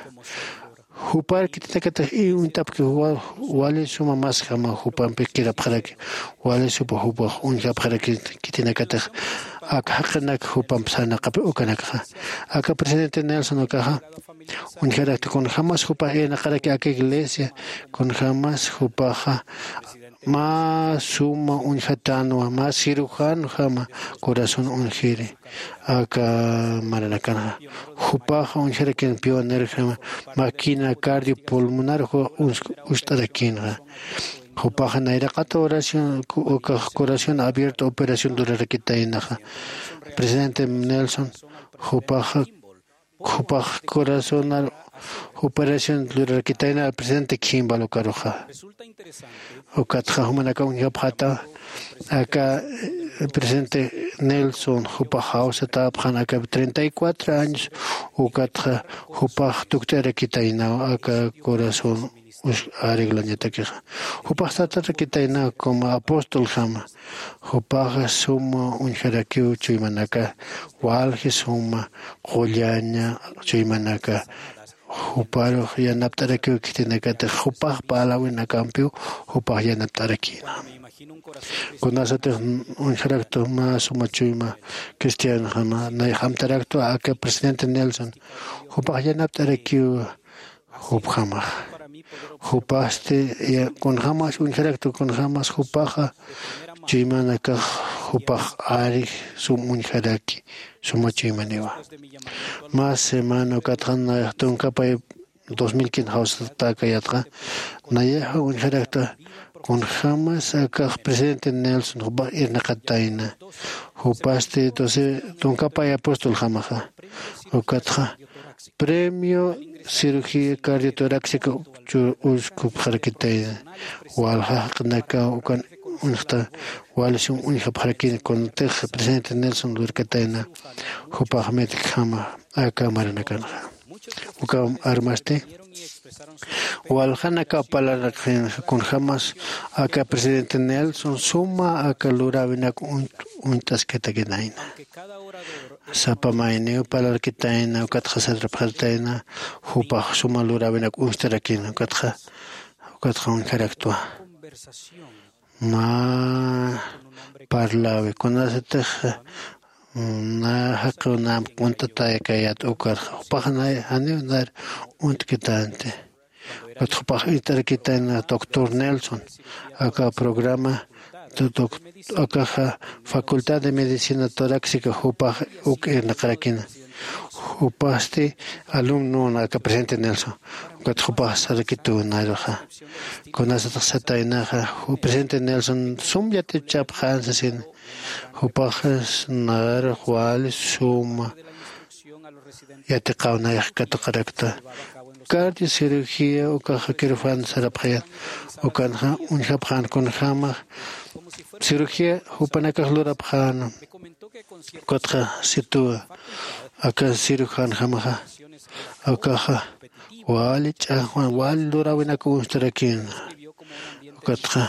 jupar khitinakatix iy uñt'apki wali suma masjama jupampi kirapxaraki. Wali supa jupax uñjapxaraki khitinakatix aka jaqinak jupamp sarnaqapi ukanakxa. Aka presidente nelson ukaxa uñjarakta kunjämas jupax irnaqaraki aka iglesia kunjämas jupaxa mä suma uñjatanwa, mä cirujanjama corazón uñjiri aka maranakanxa. Jupaxa uñjarakin pionerjama, máquina cardiopulmonar uñst'arakinxa. Jupaxa nayraqata oración, ukax corazón abierto operación lurarakitaynaxa. Presidente Nelson, jupaxa jupax corazonar operación lurarakitayna presidente Kimball ukaruxa. Ukatxa jumanaka uñjapxata aka presidente Nelson jupax jawsatäpxan aka treinta y cuatro años. Ukatxa jupax tukt'arakitaynaw aka corazón arreglañatakixa. Jupax satarakitayna como apostoljama. Jupaxa suma uñjarakiw chuymanaka, walji suma qullaña chuymanaka. Juparux yanapt'arakiw khitinakatix jupax parlawinakampiw jupax yanapt'arakïna. Kunasatix uñjaraktu mä suma chuyma cristianojama, nayax amtaraktwa aka presidente Nelson. Jupax yanapt'arakiw jupjamax. Jupasti kunjämas uñjaraktu, kunjämas jupaxa chuymanakax jupax ari sum uñjaraki suma chuymaniwa. Mä semana ukatxa nayax tunkapay dos mil quince jawsatäkayatxa, nayaxa uñjarakta kunjämas akax presidente Nelson jupax irnaqatayna. Jupasti doce tunkapay apostoljamaxa. Ukatxa premio cirugía cardiotoráxica uskupxarakitayna. Walja jaqinaka ukan uñjta wali sum uñjapxarakïna kuntix presidente Nelson lurkatayna jupax médicojama aka maranakanxa. Uka armasti waljanaka parlarakxinxa kunjämas aka presidente Nelson suma aka luräwinak uñt'askatakinayna. Sapa mayniw parlarakitayna ukatxa sarapxaratayna jupax suma luräwinak uñstarakïna. Ukatxa ukatxa uñjaraktwa mä parlawi kunasatix na jaqiw namp uñt'ataykayät ukarxa jupax janiw nar uñt'kitänti. Ukat jupax irt'arakitayna doctor Nelson aka programa, akaxa facultad de medicina toráxica jupax uk irnaqarakina. Jupasti alumnon aka presidente Nelson. Ukat jupax sarakituw naruxa kunasatix sataynaxa presidente Nelson sum yatichapxän sasina. Jupaxas narux wali suma yatiqaw nayax katuqarakta. Cardiocirugía ukaxa quirófano sarapxayät ukanxa uñjapxän kunjämax cirugía jupanakax lurapxäna. Ukatxa situwa aka cirujanjamaxa akaxa wali ch'axwan wali luräwinak uñstarakïna. Ukatxa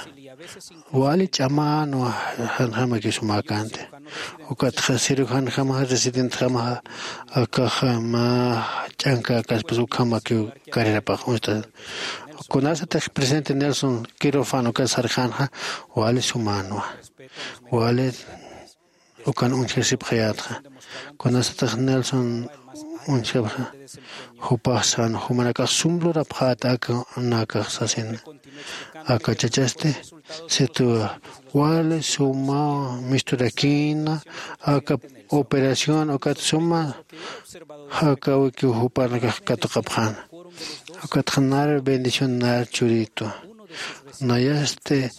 wali ch'amänwa janjamaki sumäkänti. Ukatxa cirujanjamaxa residentjamaxa akaxa mä ch'ankäkaspas ukhamakiw carrerapax uñsta. Kunasatix presidente Nelson quirófano ukat sarxänxa wali sumänwa. Wali ukan uñjasipxayätxa. Kunasatix Nelson uñjapxa jupax sän jumanakax sum lurapxäta aka nakax sasina. Aka chachasti situwa wali sumaw misturakïna aka operación ukat suma jakawikiw jupanakax katuqapxäna. Ukatxa nar bendición nar churïtwa. Nayasti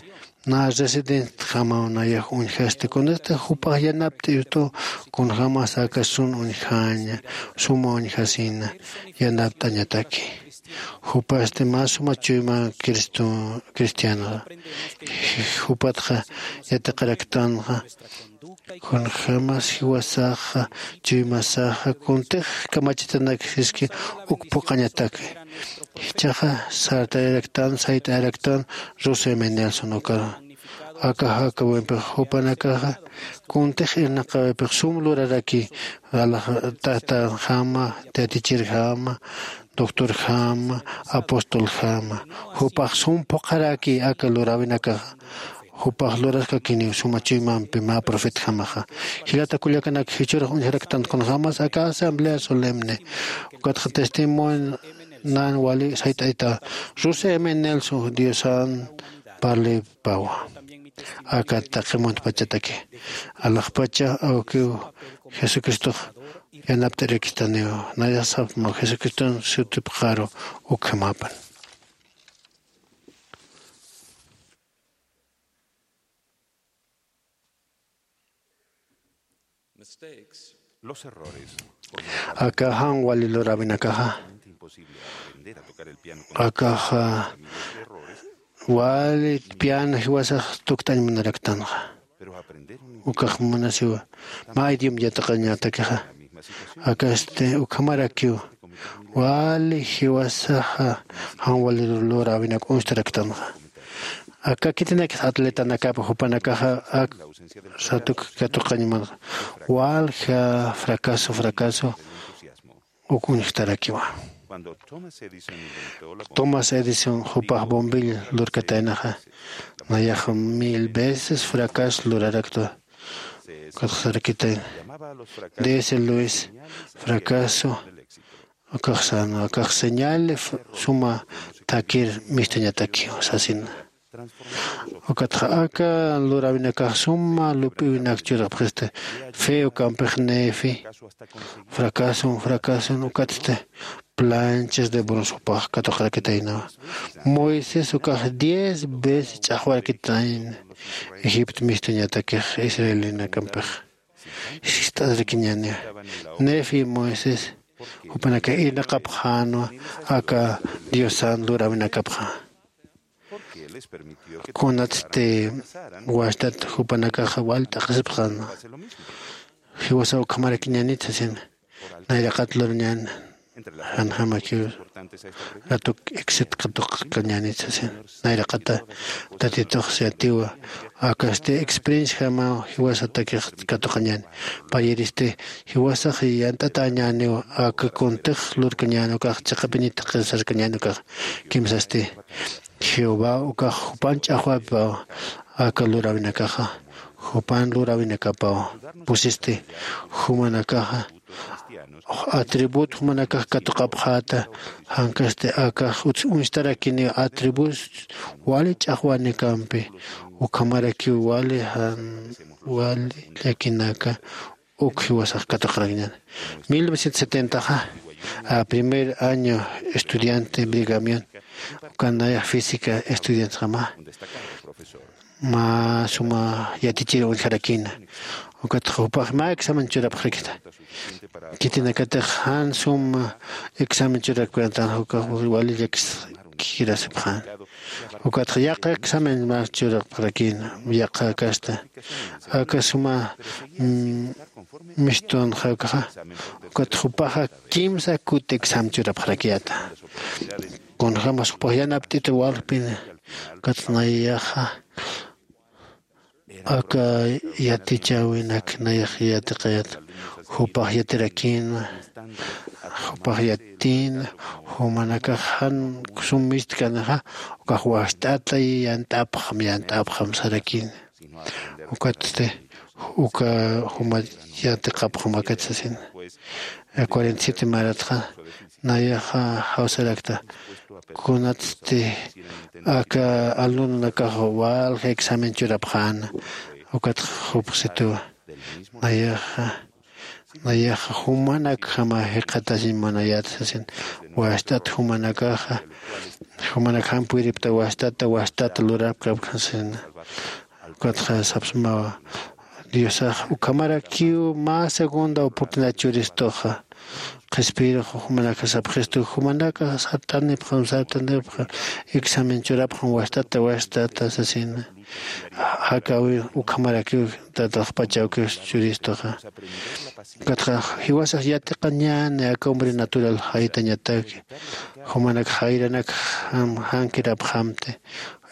na residentjamaw nayax uñjasti kunasti jupax yanapt'istu kunjämas aka sun uñjaña suma uñjasina yanapt'añataki. Jupasti mä suma chuyma cristo cristianoxa. Jupatxa yatiqaraktanxa kunjämas jiwasaxa chuymasaxa kuntix kamachitanak siski uk phuqañataki. Jichhaxa sartayaraktan sayt'ayaraktan Rusia Nelson ukaru. Aka jakawimpix jupanakaxa kuntix irnaqawipix sum luraraki alaxtatanjama tiyatichirjama doctorjama apostoljama. Jupax sum phuqharaki aka luräwinakaxa. Jupax luraskakiniw suma chuymampi mä profetjamaxa. Jilata kullakanak jichhürux uñjaraktan kunjämas aka asamblea solemne ukatxa testimonio nan wali sayt'ayta. Rusia m nelson diosan parlipawa. Aka taqi muntpachataki alaxpacha awkiw jesucristox yanapt'arakistaniw. Nayasapma jesucriston sutipxaru ukhamapan. Los errores. Aka jan wali luräwinakaxa, akaxa wali piano jiwasax tukt'añ munaraktanxa. Ukax munasiwa mä idioma yatiqañatakixa. Akasti ukhamarakiw wali jiwasaxa jan wali luräwinak uñstaraktanxa. Aka khitinakis atletanakapa jupanakaxa ak satuk katuqañ munxa. Walja fracaso fracaso uk uñjtarakiwa. Thomas Edison jupax bombillo lurkataynaxa, nayax mil veces fracaso lurarakta. Katxarakitayna, dese luis fracaso akaxsan akax señal suma thakir mistañatakiw sasina. Ukatxa aka luräwinakax suma lup'iwinak churapxisti. Fe ukampix nefi fracason fracason ukatsti planchas de bronce jupax katuqarakitaynawa. Moisés ukax diez veces ch'axwarakitayna egipto mistañatakix israelinakampix. Sist'asrakiñäniwa. Nefi moisés jupanakax irnaqapxänwa aka diosan luräwinakapxa. Kunatsti wastat jupanakaxa wal t'aqhisipxänwa. Jiwasa ukhamarakiñänit sasina. Nayraqat lurañän janjamakiw ratuk exit katuqkañänit sasina. Nayraqata tatitux siyatiwa. Akasti experienciajamaw jiwasatakix katuqañän. Payiristi jiwasax yant'atäñäniw. Aka kuntix lurkañän ukax chiqapiñit qisarkañän ukax kimsasti. Jehová ukax jupan ch'axwapipaw aka luräwinakaxa jupan luräwinakapaw pusisti. Jumanakaxa atribut jumanakax katuqapxäta. Jankasti akax uñstarakiniw atribus wali ch'axwanikampi ukhamarakiw wali jan wali llakinaka uk jiwasax katuqarakiñäni. Mil novecientos setentaxa primer año estudiante brigamion ukan nayax física estudiantxama mä suma yatichir uñjarakïna. Ukatxa jupax mä examen churapxarakita. Khitinakatix jan suma examen churakpkäntan ukax wali llakis kirasipxän. Ukatxa yaqha examen mä churapxarakïna yaqha kasta aka suma mistunxa ukaxa. Ukatxa jupaxa kimsa kuti examen churapxarakiyäta. Kunjämas jupax yanapt'ita walpin. Ukatxa nayaxa aka yatichäwinak nayax yatiqayät. Jupax yatirakïnwa. Jupax yatïnwa. Jumanakax jan sum mistkanixa ukax wast'ata yant'apxam yant'apxam sarakïnwa. Ukatsti uka juma yatiqapxam akat sasina. Cuarenta y siete maratxa nayaxa jawsarakta. Kunatsti aka alumnonakax walja examen churapxäna. Ukatxa jupxsituwa nayaxa nayaxa jumanakjama jikxatasiñ munayäta sasin. Wast'at jumanakaxa jumanak jampiripta wast'ata wast'ata lurapkapkasina. Ukatxa sapsmawa diosax ukhamarakiw mä segunda oportunidad churistuxa. Qhispiyirux jumanakax sapxistu jumanakax sartanipxam sartanipxam examen churapxam wast'ata wast'ata sasina. Jakäwi ukhamarakiw tataxpachawkiw churistuxa. Ukatxa jiwasax yatiqañäni aka hombre natural jaytañataki. Jumanak jayranak jankirapxamti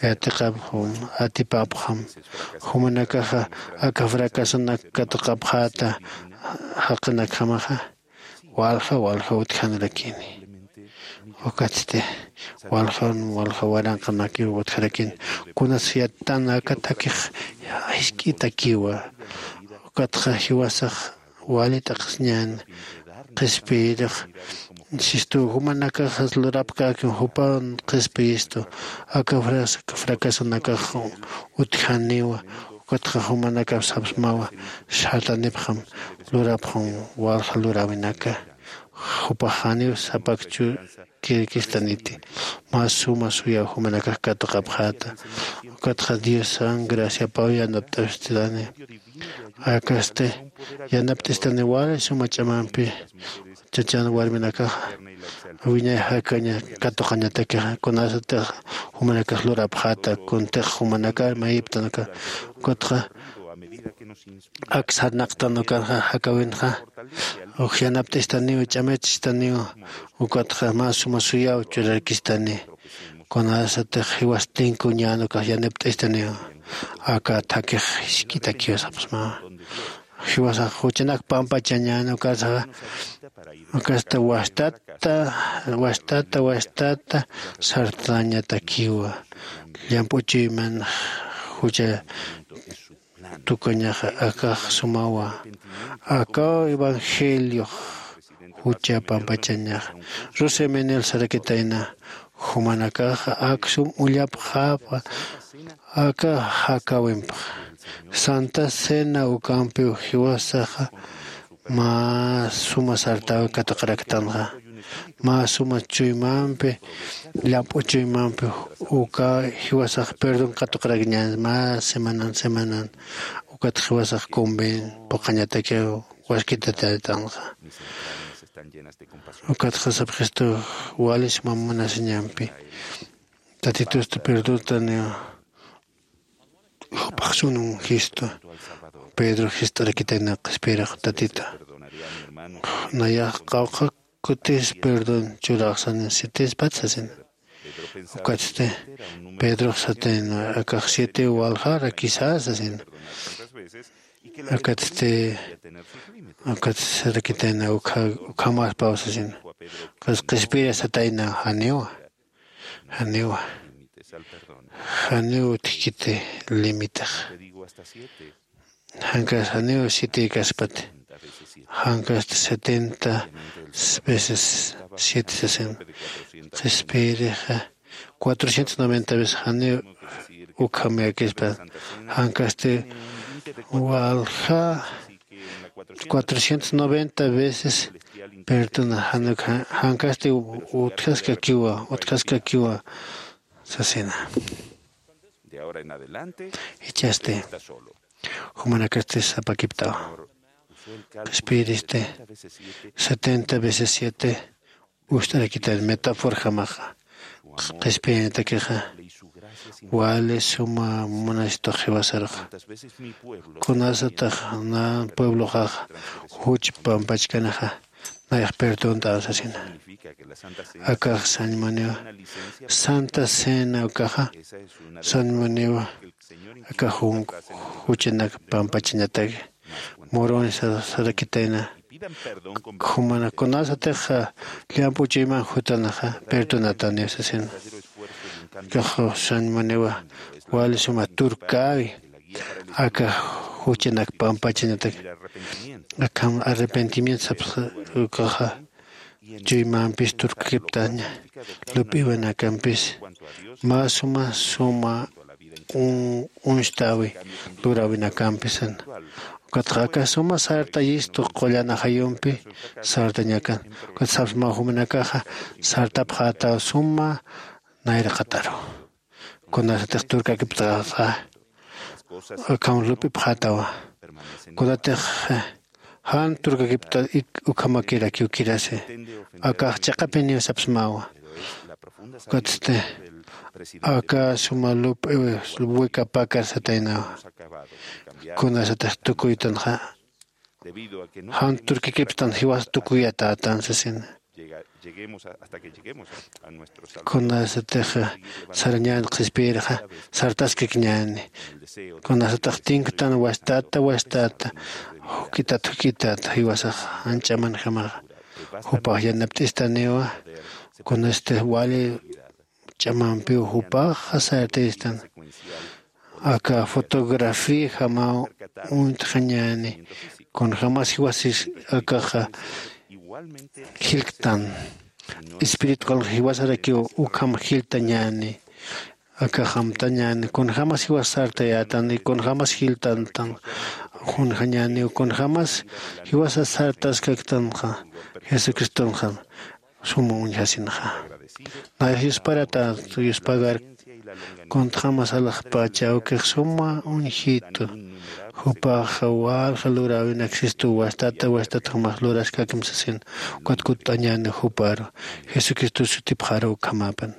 yatiqapxam atipapxam. Jumanakaxa aka fracasonak katuqapxäta jaqinakjamaxa walja walja utjanirakini. Ukatsti walja walja waranqanakiw utjarakini. Kunas yattan akatakix jisk'itakiwa. Ukatxa jiwasax wali t'aqhisiñäni. Qhispiyirix Sistu jumanakaxas lurapkäkim jupan qhispiyistu. Aka fras- fracasunakax utjaniwa. Ukatxa jumanakap sapsmawa sartanipxam lurapxam walja luräwinaka. Jupax janiw sapakchu kirikistaniti. Mä suma suyaw jumanakax katuqapxäta. Ukatxa diosan graciapaw yanapt'apxistani. Akasti yanapt'istani wali suma ch'amampi chachan warminakaxa wiñay jakaña katuqañatakixa kunasatix jumanakax lurapxäta kuntix jumanakar mayiptanaka. Ukatxa ak sarnaqtan ukanxa jakawinxa uk yanapt'istaniw ch'amachistaniw. Ukatxa mä suma suyaw churarkistani kunasatix jiwas tinkuñän ukax yanapt'istaniw. Aka thakix jisk'itakiw sapxsmawa. Jiwasax juchanak pampachañän ukasaxa ukasta wastata wastata wastata sartañatakiwa. Llamp'u chuyman jucha tukuñaxa akax sumawa. Akaw evangeliox jucha pampachañaxa. Rusemenel sarakitayna jumanakaxa aksum ullapxäpa aka jakawimpa santa cena ukampiw jiwasaxa mä suma sartaw katuqaraktanxa. Mä suma chuymampi llamp'u chuymampi uka jiwasax perdón katuqarakñan mä semanan semanan. Ukat jiwasax conven puqañatakiw waskitatätanxa. Ukatxa sapxistu wali suma munasiñampi tatitusta perdontan. Jupax sunun jistu pedro jist'arakitayna qhispiyirix tatita nayax qawqha kutis perdón churaxsanin sitispat sasina. Ukatsti pedrox satayna akax siete waljarakisa sasina. Akatsti akatsti sarakitayna ukhamaspaw sasina. Qhispiyira satayna janiwa janiwa janiw utjkiti limitax. Jankas janiw sitïkaspati jankasti setenta veces siete sasin qhispiyirixa cuatrocientos noventa veces janiw ukhamayakispa. Jankasti walja cuatrocientos noventa veces perdona. Jankasti utjaskakiwa utjaskakiwa sasina. Ichasti jumanakasti sapakiptawa qhispiyiristi setenta veces siete ust'arakitan metáforjamaxa qhispiyañatakixa wali suma munasitux jiwasaruxa. Kunasatax nan puebloxaxa juch pampachkanaxa nayax perdonta sasina. Akax sañmuniwa santa cena ukaxa sañmuniwa akax juchanak pampachañataki. Muruni sarakitayna jumana kunasatix llamp'u chuyman jutanaxa perdonataniw sasina. Akax sañmuniwa wali suma turkäwi aka juchanak pampachañatak akham arrepentimiento sapxi ukaxa chuymampis turkakiptaña lup'iwanakampis mä suma suma uñstäwi luräwinakampisan. Ukatxa aka suma sartayistu qullan ajayumpi sartañakan ukat sapsmaw jumanakaxa sartapxätaw suma nayraqataru. Kunasatix turkakiptaxa akham lup'ipxätawa. Kunatix jan turkakipta ukhamakirakiw kirasi akax chiqapiniw sapsmawa. Ukatsti aka suma lup'iw wikapakar sataynawa. Kunasatix tukuytanxa jan turkakiptan jiwas tukuyatätan sasina. Kunasatix sarañän qhispiyirxa sartaskakñäni. Kunasatix tinktan wastata wastata juk'itat juk'itat jiwasax janch'amanjamaxa jupax yanapt'istaniwa. Kunasti wali ch'amampiw jupaxa sartayistan aka fotografía jamaw uñtxañäni. Kunjämas jiwasis akaxa jilktan. Espiritu qulqi jiwasarakiw ukham jiltañäni. Akax amtañäni kunjämas jiwas sartayätan y kunjämas jiltantan. Kunjañäniw kunjämas jiwasa sartaskaktanxa jesucristonxa suma uñjasinxa. Nayas yusparatax yuspagar kuntxamas alaxpacha awkix suma uñjitu. Jupaxa walja luräwinak sistu wastata wastatxamax luraskakim sasin. Ukat kutt'añäni juparu jesucristo sutipxaru ukhamäpan.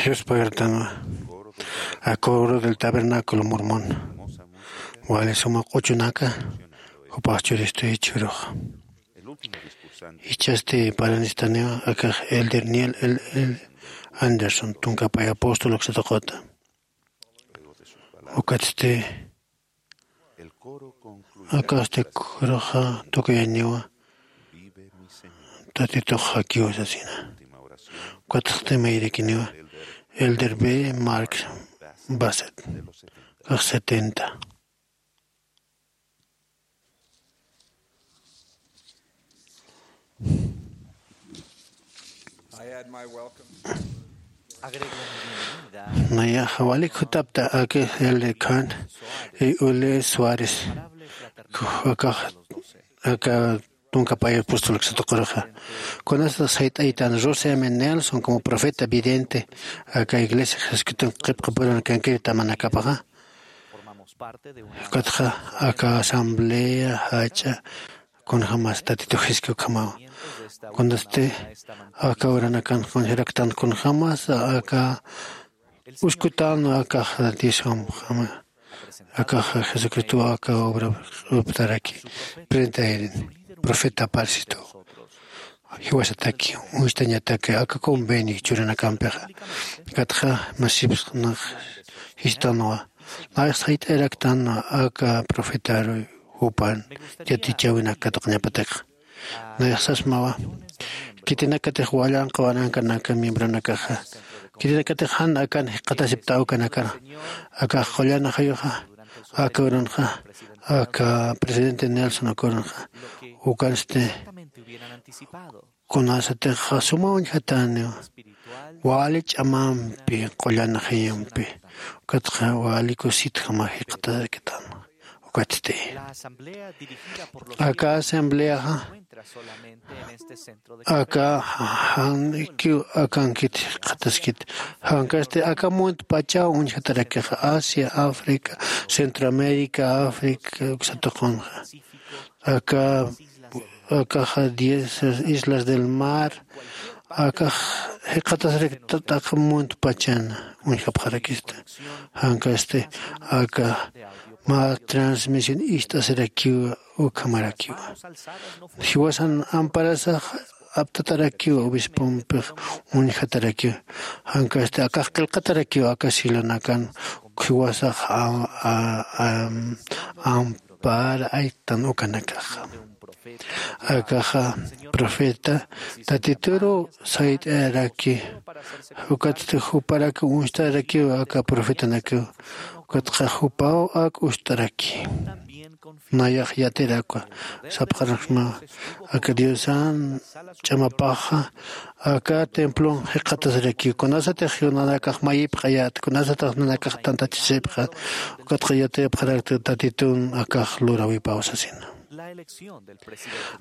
Yuspagartanwa a coro del tabernáculo mormón wali suma q'uchunaka jupax churistu jichhürux. Jichhasti paranistaniwa akax elder niel el el anderson tunkapay apóstol uksatuqata. Ukatsti akasti kuruxa tukuyañiwa tatitux jakiwa sasina. Ukatxti mayrikiniwa elder b mark baset kax setenta. Nayaxa walik jutapta aka elder khan y ule suárez akax aka tunka pay apóstol ksatuquraxa. Kunasata sayt'aytan rose m nelson como profeta vidente aka iglesia jesucristo qipqapuran kankiri tamanakapaxa. Ukatxa aka asamblea jach'a kunjämas tatituxiski ukhamawa. Kunasti aka uranakan kunjaraktan kunjämas aka uskutan akax diosjama akax jesucristo aka obra uptaraki prentayrin profeta parsitu jiwasataki uñstañataki aka convenio churanakampixa. Katxa masipsnax jistanwa nayax sayt'ayaraktan aka profetaru jupan yatichäwinak katuqañapatix. Nayax sasmawa kitinakatix wallanqa warankanaka miembronakaxa kitinakatix jan akan jikxatasipta ukanakar akax qullan ajayuxa aka urunxa aka presidente nelson aka urunxa ukansti kunasatix suma uñjatäniw wali ch'amampi qullan ajayumpi ukatxa wali kusitjama jikxatasiptan. Ukatsti aka asambleaxa aka jan ikiw akankit jikxataskit jankasti aka muntpachaw uñjatarakixa asia africa centroamérica africa uksatuqunxa aka akaxa diez islas del mar akax jikxatasarakitataq muntpachan uñjapxarakista. Jankasti aka mä transmisión ist'asirakiwa ukhamarakiwa jiwasan amparasax aptatarakiwa obispompix uñjatarakiwa jankasti akax qillqatarakiwa aka silonakan jiwasax ampara aytan ukanakaxa. Akaxa profeta tatituru sayt'ayaraki ukatsti juparaki uñstarakiwa aka profetanakiwa ukatxa jupaw ak uñst'araki. Nayax yatirakwa sapxaraksma aka diosan ch'amapaxa aka templon jikxatasirakiw kunasatix nanakax mayipxayät kunasatix nanakax tantachisipxa ukatxa yatiyapxarakta tatitun akax lurawipaw sasina.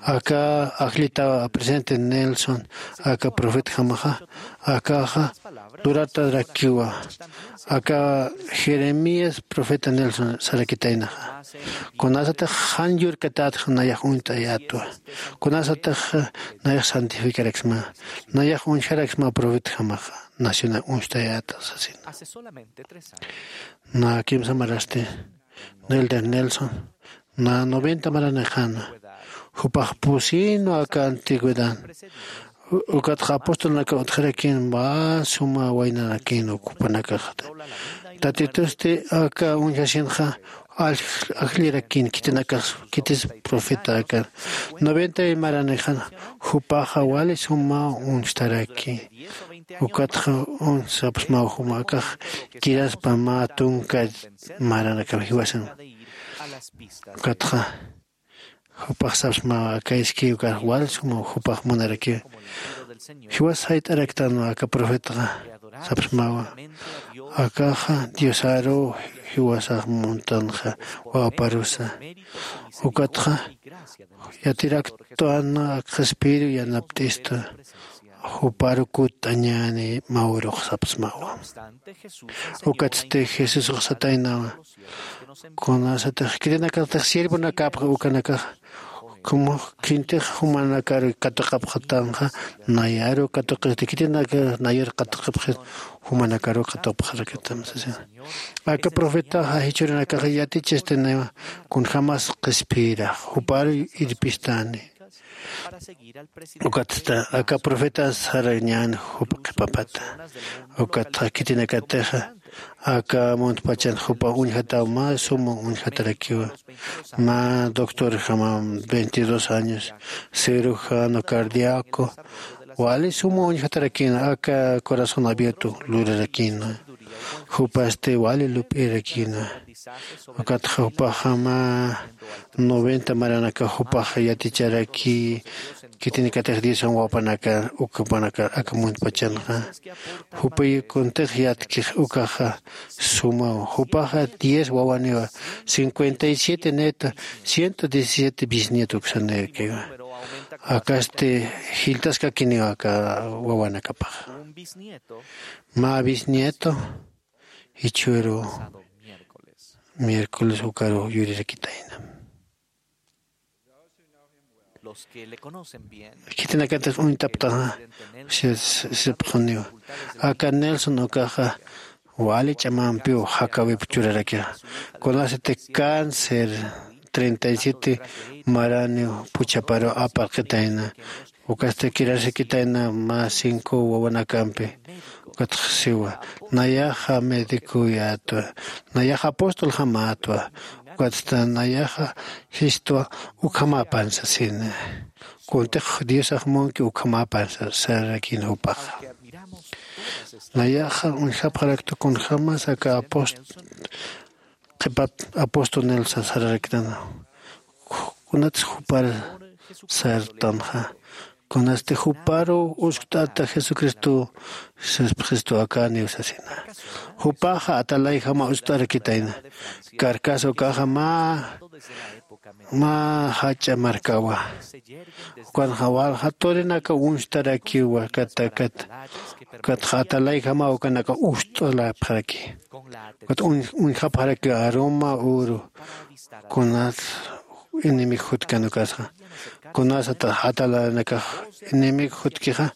Aka ajllitaw presidente nelson aka profetjamaxa akaxa luratarakiwa aka jeremías profeta nelson sarakitaynaxa kunasatix jan yurkatätxa nayax uñt'ayätwa kunasatix nayax santificaraksma nayax uñjaraksma profetjamaxa nacional uñst'ayäta sasina. Nä kimsa marasti nelder nelson nä noventa maranixana jupax pusïnwa aka antigüedad ukatxa apostolnaka utjarakin mä suma waynarakin ukpanakaxta. Tatitusti aka uñjasinxa ajllirakin khitinakax khitis profeta aka noventa maranixana jupaxa wali suma uñstaraki ukatxa uñsapxsmaw juma akax kiraspa mä tunka maranakam jiwasan. Ukatxa jupax sapsmawa aka iskiw ukax wal suma jupax munarakiw jiwas sayt'araktanwa aka profetaxa sapsmawa akaxa diosaruw jiwasax muntanxa wawaparusa ukatxa yatiraktwan akxaspiru yanapt'ista juparu kutt'añäni mä urux sapsmawa. Ukatsti jesusux sataynawa kunasatix khitinakatix siervonakäpxa ukanakaxa Como khintix jumanakaru katuqapxatanxa, nayaru katuqisti khitinaka nayar katuqapxit, jumanakaru katuqapxarakitam sasina. Aka profetaxa jichhurinakaxa yatichistaniwa kunjämas qhispiyirax, juparu irpistani. Ukatsta aka profetas sarañän jupa qhipapata. Ukatxa khitinakatixa aka muntpachan jupa uñjataw mä suma uñjatarakiwa. Mä doctorjama, veintidós años, cirujano cardíaco, wali suma uñjatarakïna, aka corazón abierto lurarakïna. Jupasti wali lup'irakïna. Ukatxa jupaxa mä noventa maranaka jupax yaticharaki, khitinakatix diosan wawanaka ukhapanaka aka muntpachanxa. Jupayi kuntix yatkix ukaxa sumaw. Jupaxa diez wawaniwa, cincuenta y siete nieto, ciento diecisiete bisnieto uksanirakiwa. Akasti jiltaskakiniwa aka wawanakapaxa. Mä bisnieto jichhüru miércoles ukaru yurirakitayna. Khitinakatix uñtaptaxa sipxuniwa. Aka Nelson ukaxa wali ch'amampiw jakawip churarakixa. Kunasiti cáncer treinta y siete maraniw puchhaparu aparqitayna. Ukasti kirarsikitayna mä cinco wawanakampi. Ukatxa siwa, nayaxa medicuyätwa, nayaxa apostoljamätwa. Ukatsta nayaxa jistwa ukhamäpan sasina. Kuntix diosax munki ukhamäpan sararakïna jupaxa. Nayaxa uñjapxarakta kunjämas aka apost qhipat apostol Nelson sararaktan. Kunatsa jupar sartanxa, kunasti juparu uskt'ata jesucristo, saspa jesucristo akaniw sasina. Jupaxa atalayjama uskt'arakitayna. Karkas ukaxa mä mä jach'a markawa. Ukanxa walja turinaka uñstarakiwa katakat. Ukatxa atalayjama ukanaka ust'alapxaraki. Ukat uñjapxarakiwa aroma uru. Kunas enemigo jutkan ukasxa, kunas atalanakax enemigo jutkixa.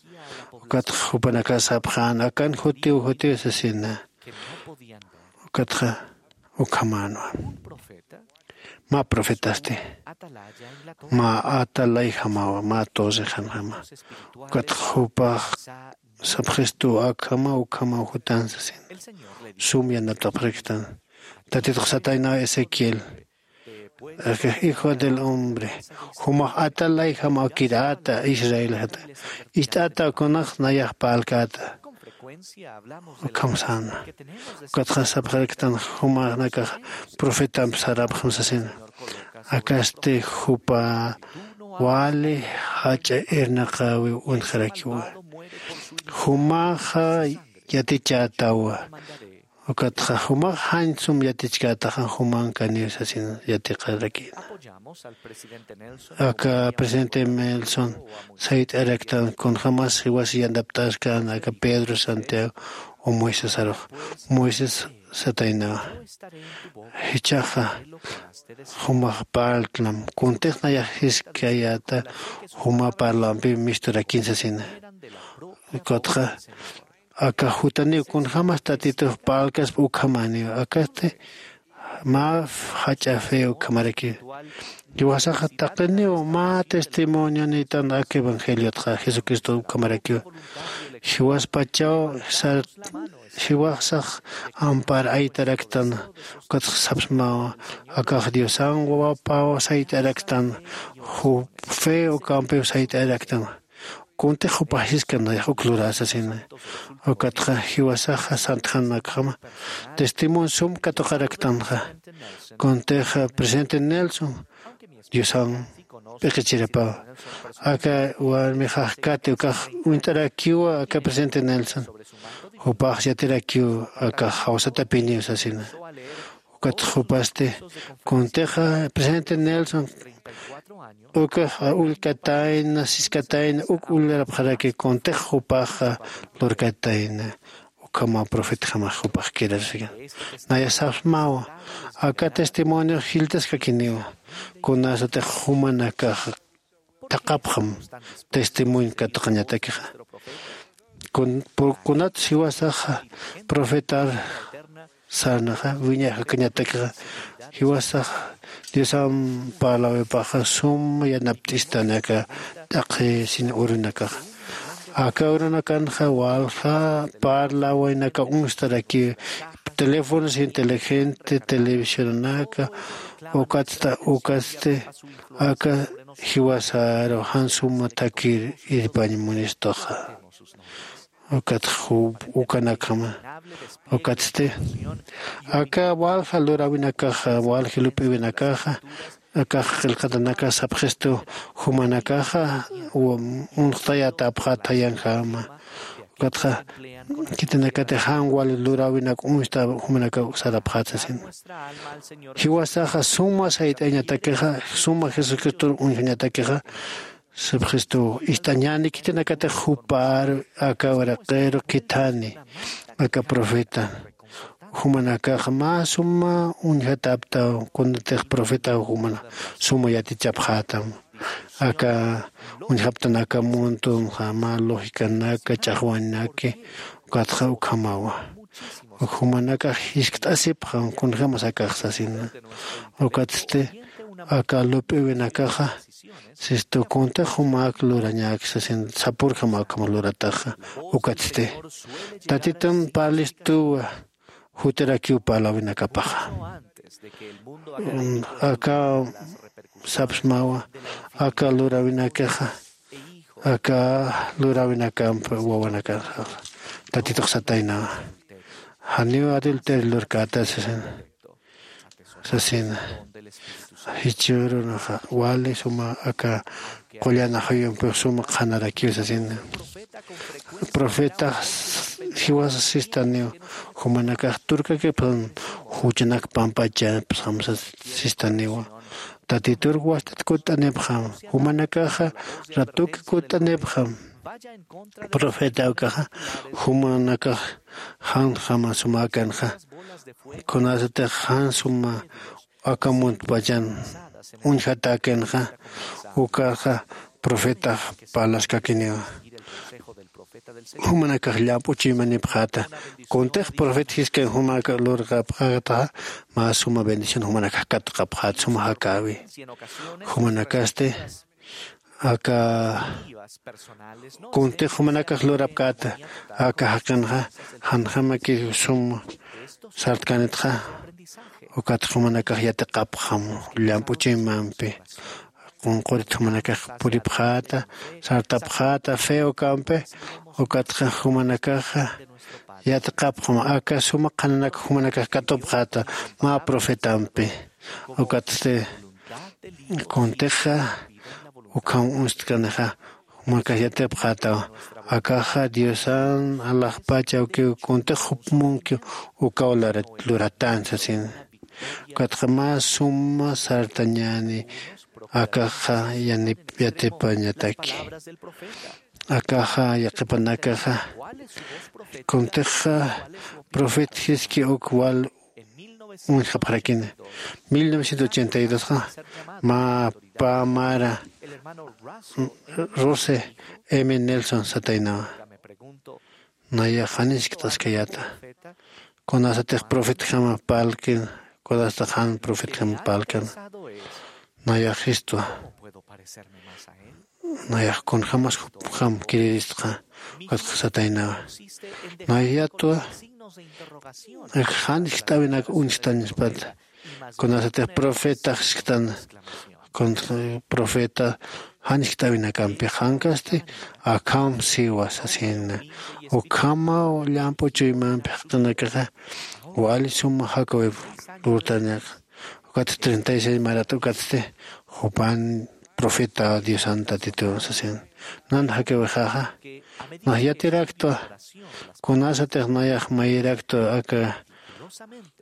Ukatxa jupanakas sapxän akan jutiw jutiw sasina. Ukatxa ukhamänwa. Mä profetasti mä atalayjamawa mä torrexanjama. Ukatxa jupax sapxistu akhamaw ukhamaw jutan sasin. Sum yanatapxaraktan. Tatitux sataynaw ezequiel, hijo del hombre, jumax atalayjamaw kirata israel jata, ist'ata kunax nayax parlkäta. Ukham säna. Ukatxa sapxaraktan jumanakax profetamp sarapxam sasina. Akasti jupa wali jach'a irnaqäwiw uñjarakiwa. Jumaxa yatichätawa. Ukatxa jumax jañ sum yatichkätaxa jumankaniw sasin yatiqarakïna. Aka presidente nelson sayt'araktan kunjämas jiwas yantapt'askän aka pedro santiago o moisesarux. Moisés sataynawa, jichhaxa jumax parltnam kuntix nayax jiskayäta juma parlampi misturakïn sasina. Ukatxa aka jutaniw kunjämas tatitux parlkaspa ukhamäniw akasti mä jach'a fe ukhamarakiw. Jiwasaxa taqiniw mä testimonionïtan aka evangeliotxa jesucristo ukhamarakiw. Jiwaspachaw sar jiwasax ampar aytaraktan. Ukatxa sapsmawa akax diosan wawapaw sayt'araktan. Jup fe ukampiw sayt'araktan. Kuntix jupax jiskan nayax uk lurä sasina. Ukatxa jiwasaxa santjanakjama testimonio sum katuqaraktanxa. Kuntix presidente nelson diosan p'iqichirapaw. Aka warmixax kati ukax uñt'arakiwa aka presidente nelson. Jupax yatirakiw akax jawsatapiniw sasina. Ukatxa jupasti kuntixa presidente nelson ukax ullkatayna siskatayna uk ullarapxaraki kuntix jupaxa lurkatayna. Uk ukhama profetjamax jupaxkirasika. Naya sapsmawa aka testimoniox jilltaskakiniwa. Kunasatix jumanakax thaqhapxam testimonio katuqañatakixa. Kunat jiwasaxa profetar sarnaxa wiñaxakañatakixa jiwasaxa diosan parlawipaxa suma yanapt'istanaka t'aqhi sin urunakaxa. Aka urunakanxa walja parlawaynaka uñstarakiw teléfonos inteligente televisionanaka ukatsta ukatsti aka jiwasaru jan suma thakir irpañ munistuxa. Ukat ukanakama ukatsti aka walja lurawinakaxa walja lup'iwinakaxa akax qillqatanaka sapxistu jumanakaxa unxtayatapxat jayanjama. Ukatxa khitinakatix jan wali luräwinak uñsta jumanakaw sarapxat sasin. Jiwasaxa suma sayt'ayañatakixa suma jesucristor uñjañatakixa sapxistu ist'añäni khitinakatix jupar aka wiraqiru khithani aka profeta jumanakax mä suma uñjataptaw kunatix profetaw jumana suma yatichapxätam. Aka uñjaptanaka muntunxa mä logicanaka ch'axwañnaki ukatxa ukhamawa. Jumanakax jiskt'asipxam kunjämas akax sasina. Ukatsti aka lup'iwinakaxa sistu kuntix jumak lurañäki sasin sapürjam ukham lurataxa. Ukatsti tatitun parlistuwa jutirakiw parlawinakapaxa. Aka sapsmawa aka luräwinakaxa aka luräwinakamp wawanakaxa tatitux sataynawa. Janiw adulterio lurkäta sasina sasina. Jichhürunaxa wali suma aka qullan ajuyumpix suma qhanarakiw sasina. Profetax jiwasa sistaniw jumanakax turkakipxam juchanak pampachapxam sistaniwa. Tatitur wastat kutt'anipxam jumanakaxa ratuki kutt'anipxam. Profeta ukaxa jumanakax janjama sumäkanxa kunasatix jan suma aka muntpachan uñjatäkinxa ukaxa profetax parlaskakiniwa. Jumanakax llamp'u chuymanipxäta kuntix profeta jiskan jumanakax lurqapxätaxa mä suma bendición jumanakax katuqapxäta suma jakäwi. Jumanakasti aka kuntix jumanakax lurapkäta aka jaqinxa janjamakiw sum sartkanitxa. Ukatxa jumanakax yatiqapxam llamp'u chuymampi qunqurit jumanakax puripxäta sartapxäta fe ukampi. Ukatxa jumanakaxa yatiqapxam aka suma qhananak jumanakax katupxäta mä profetampi. Ukatsti kuntixa ukham uñstkanixa jumanakax yatipxätaw. Akaxa diosan alaxpach awkiw kuntix jup munkiw ukaw luratän sasin. Ukatxa mä suma sartañäni akaxa yanip yatipañataki. Akaxa yaqhipanakaxa kuntixa profeta jiski uk wal uñjapxarakini. Mil novecientos ochenta y dosxa mä pä mara rose m nelson sataynawa. Nayax jan jiskt'askayäta kunasatix profetjama parlkina kunasatix jan profetjama parlkana. Nayax jistwa nayax kunjämas jupjam kiriristxa. Ukatxa sataynawa nayatwa jan jiskt'äwinak uñstañaspata. Kunasatix profeta jiskt'ana profeta jan jiskt'äwinakampi jankasti akham siwa sasina. Ukhamaw llamp'u chuymampi jaqinakaxa wali suma jakawip lurtañaxa. Ukatsti treinta y seis marat ukatsti jupan profeta diosan tatitu sasin. Nan jakiwixaxa nax yatiraktwa kunasatix nayax mayiraktwa aka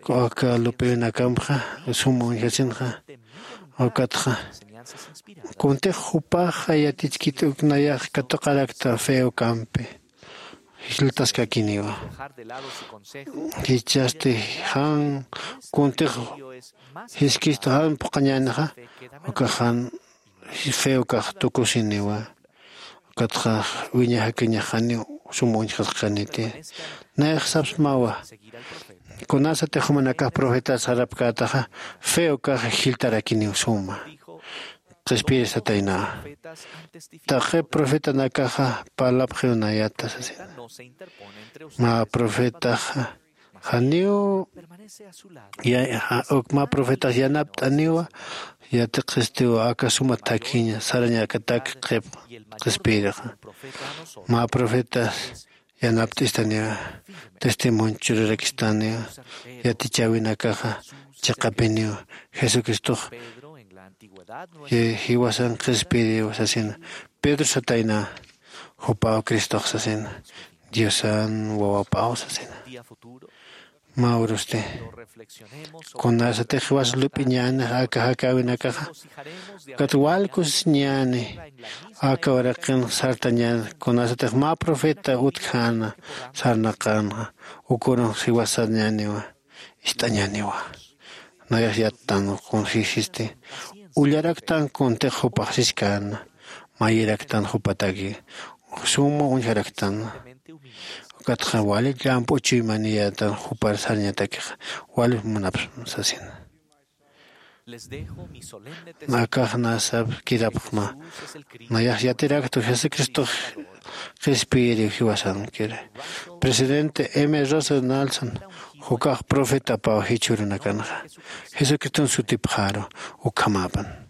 aka lup'iwinakampxa suma uñjasinxa. Ukatxa kuntix jupaxa yatichkit uk nayax katuqarakta fe ukampi. jiltaskakiniwa. Jichhasti jan kuntix jiskistu jan phuqhañänixa, ukax jan fe ukax tukusiniwa. Ukatxa wiña jakiñax janiw sum uñjasqaniti. Nayax sapsmawa, kunasatix jumanakax profetas sarapkätaxa, fe ukax jiltarakiniw suma. Qhispiyir satayna, taqi profetanakaxa parlapxiw nayata sasina. Mä profetaxa janiw ya- ja- uk mä profetax yanapt'aniwa, yatiqhistiw aka suma thakiña sarañakatak qhip qhispiyirixa. Mä profetas yanapt'istaniwa, testimonio churarakistaniwa, yatichäwinakaxa chiqapiniwa. Jesucristox ji- jiwasan qhispiyiriw sasina. Pedro satayna, jupaw Cristox sasina, Diosan wawapaw sasina. Mä urusti, kunasatix jiwas lup'iñänix aka jakäwinakaxa, ukat wal kusisiñäni aka uraqin sartañän, kunasatix mä profeta utjäna sarnaqänxa, ukürunx jiwas sarñäniwa, ist'añäniwa. Nayax yattan kunjisisti, ullaraktan kuntix jupax siskäna, mayiraktan jupataki, suma uñjaraktan. Ukatxa wali llamp'u chuymaniyätan jupar sarñatakixa, wali munapxsma sasina. Akax nasap kirapxma, nayax yatiraktu Jesucristox qhispiyiriw jiwasankiri. Presidente M Russell Nelson, jukax profetapaw jichhürunakanxa, Jesucriston sutipxaru. Ukhamäpan.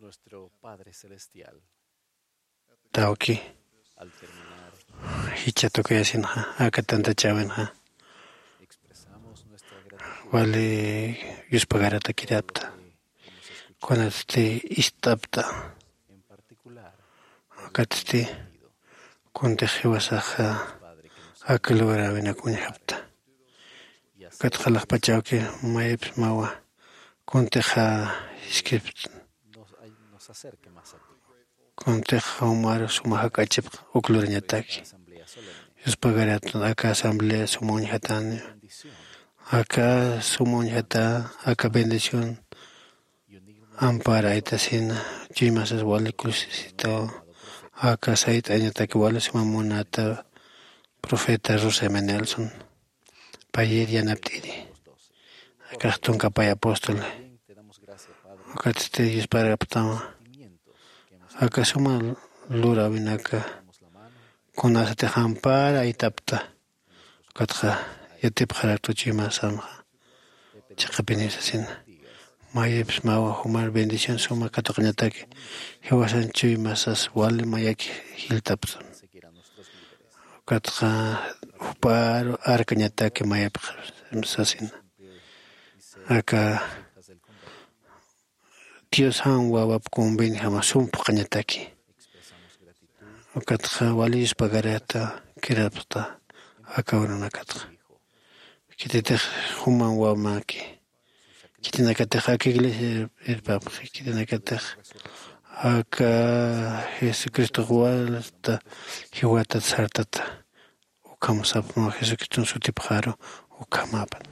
Nuestro Padre Celestial. Tawki. Al terminar, jichha tukuyasinxa, aka tantachäwinxa, expresamos nuestra gratitud wali yuspagarata kirapta. Kunatsti ist'apta. En particular, ukatsti kuntix jiwasaxa aka lugaräwinak uñjapta. Ukatxa laxpachawki mayipis mawa kuntixa jiskipta. Kuntix jumar suma jak'achipx uk lurañataki. Yuspagarata aka asamblea suma uñjatani. Aka suma uñjata, aka bendición ampara aytasina, chuymasas wali kullsisitaw, aka sayt'añataki wali suma munata profeta Russell M. Nelson, payir yanapt'iri, akax tunka pay apóstol, ukatsti yusparaptama, aka suma luräwinaka kunasatix ampara aytapta. Ukatxa yatipxaraktu chuymasamxa chiqapini sasina. Mayipis mawa jumar bendición suma katuqañataki, jiwasan chuymasas wali mayaki jiltapxam. Ukatxa juparu arkañataki mayipxam sasina. Aka Dios jan wawap convenjama sum phuqhañataki. Ukatxa wali yuspagarata kirapxta aka urunakatxa. Khititix juman wawamaki. Khitinakatix aka iglesia irpapxi. Khitinakatix aka Jesucristox walta jiwatat sartata. Ukham sapxma Jesucriston sutipxaru ukhamäpan.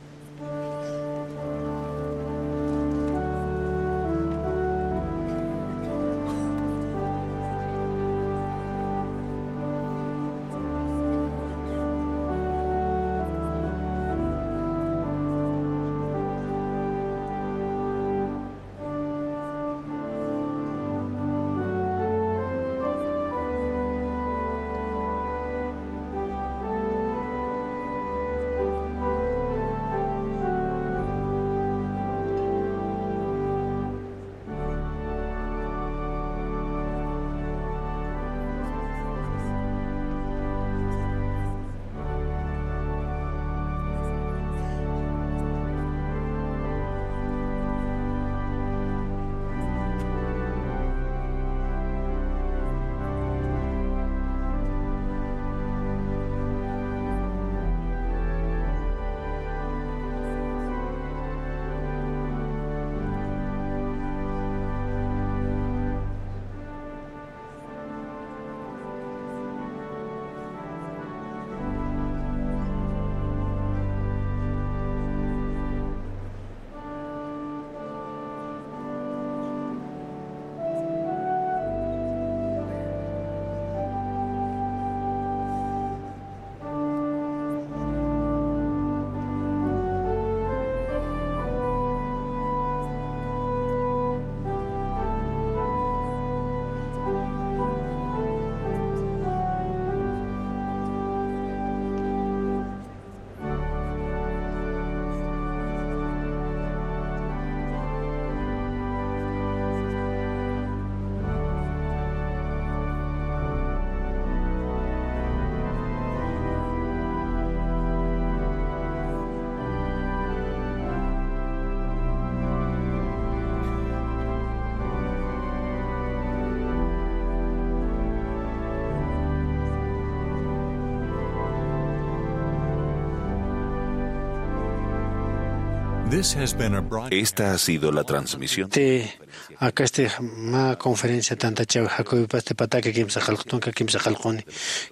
This has been a broad- Esta ha sido la transmisión. Te, akasti mä conferencia tantachaw Jacobipasti pataka kimsa qallqu tunka kimsa qallquni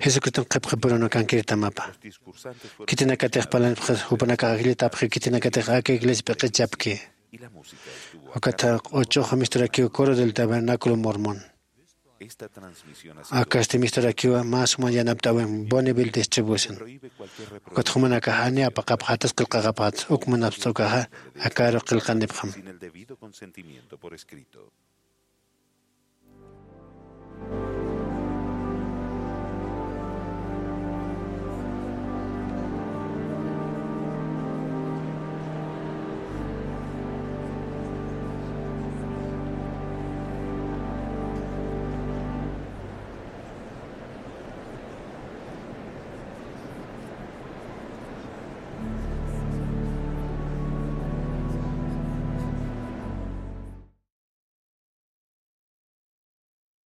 Jesucriston qhipqipurunakankirtamapa. Khitinakatix parlanipxi jupanakax ajllitapxi, khitinakatix aka iglesia p'iqichapki. Ukatxa q'uchux misturakiw Coro del Tabernáculo Mormón. Akasti misturakiwa mä suma yanapt'äwin Bonneville Distribution. Ukat jumanakax jani apaqapxatas qillqaqapxatas, uk munapxta ukaxa akaru qillqanipxam.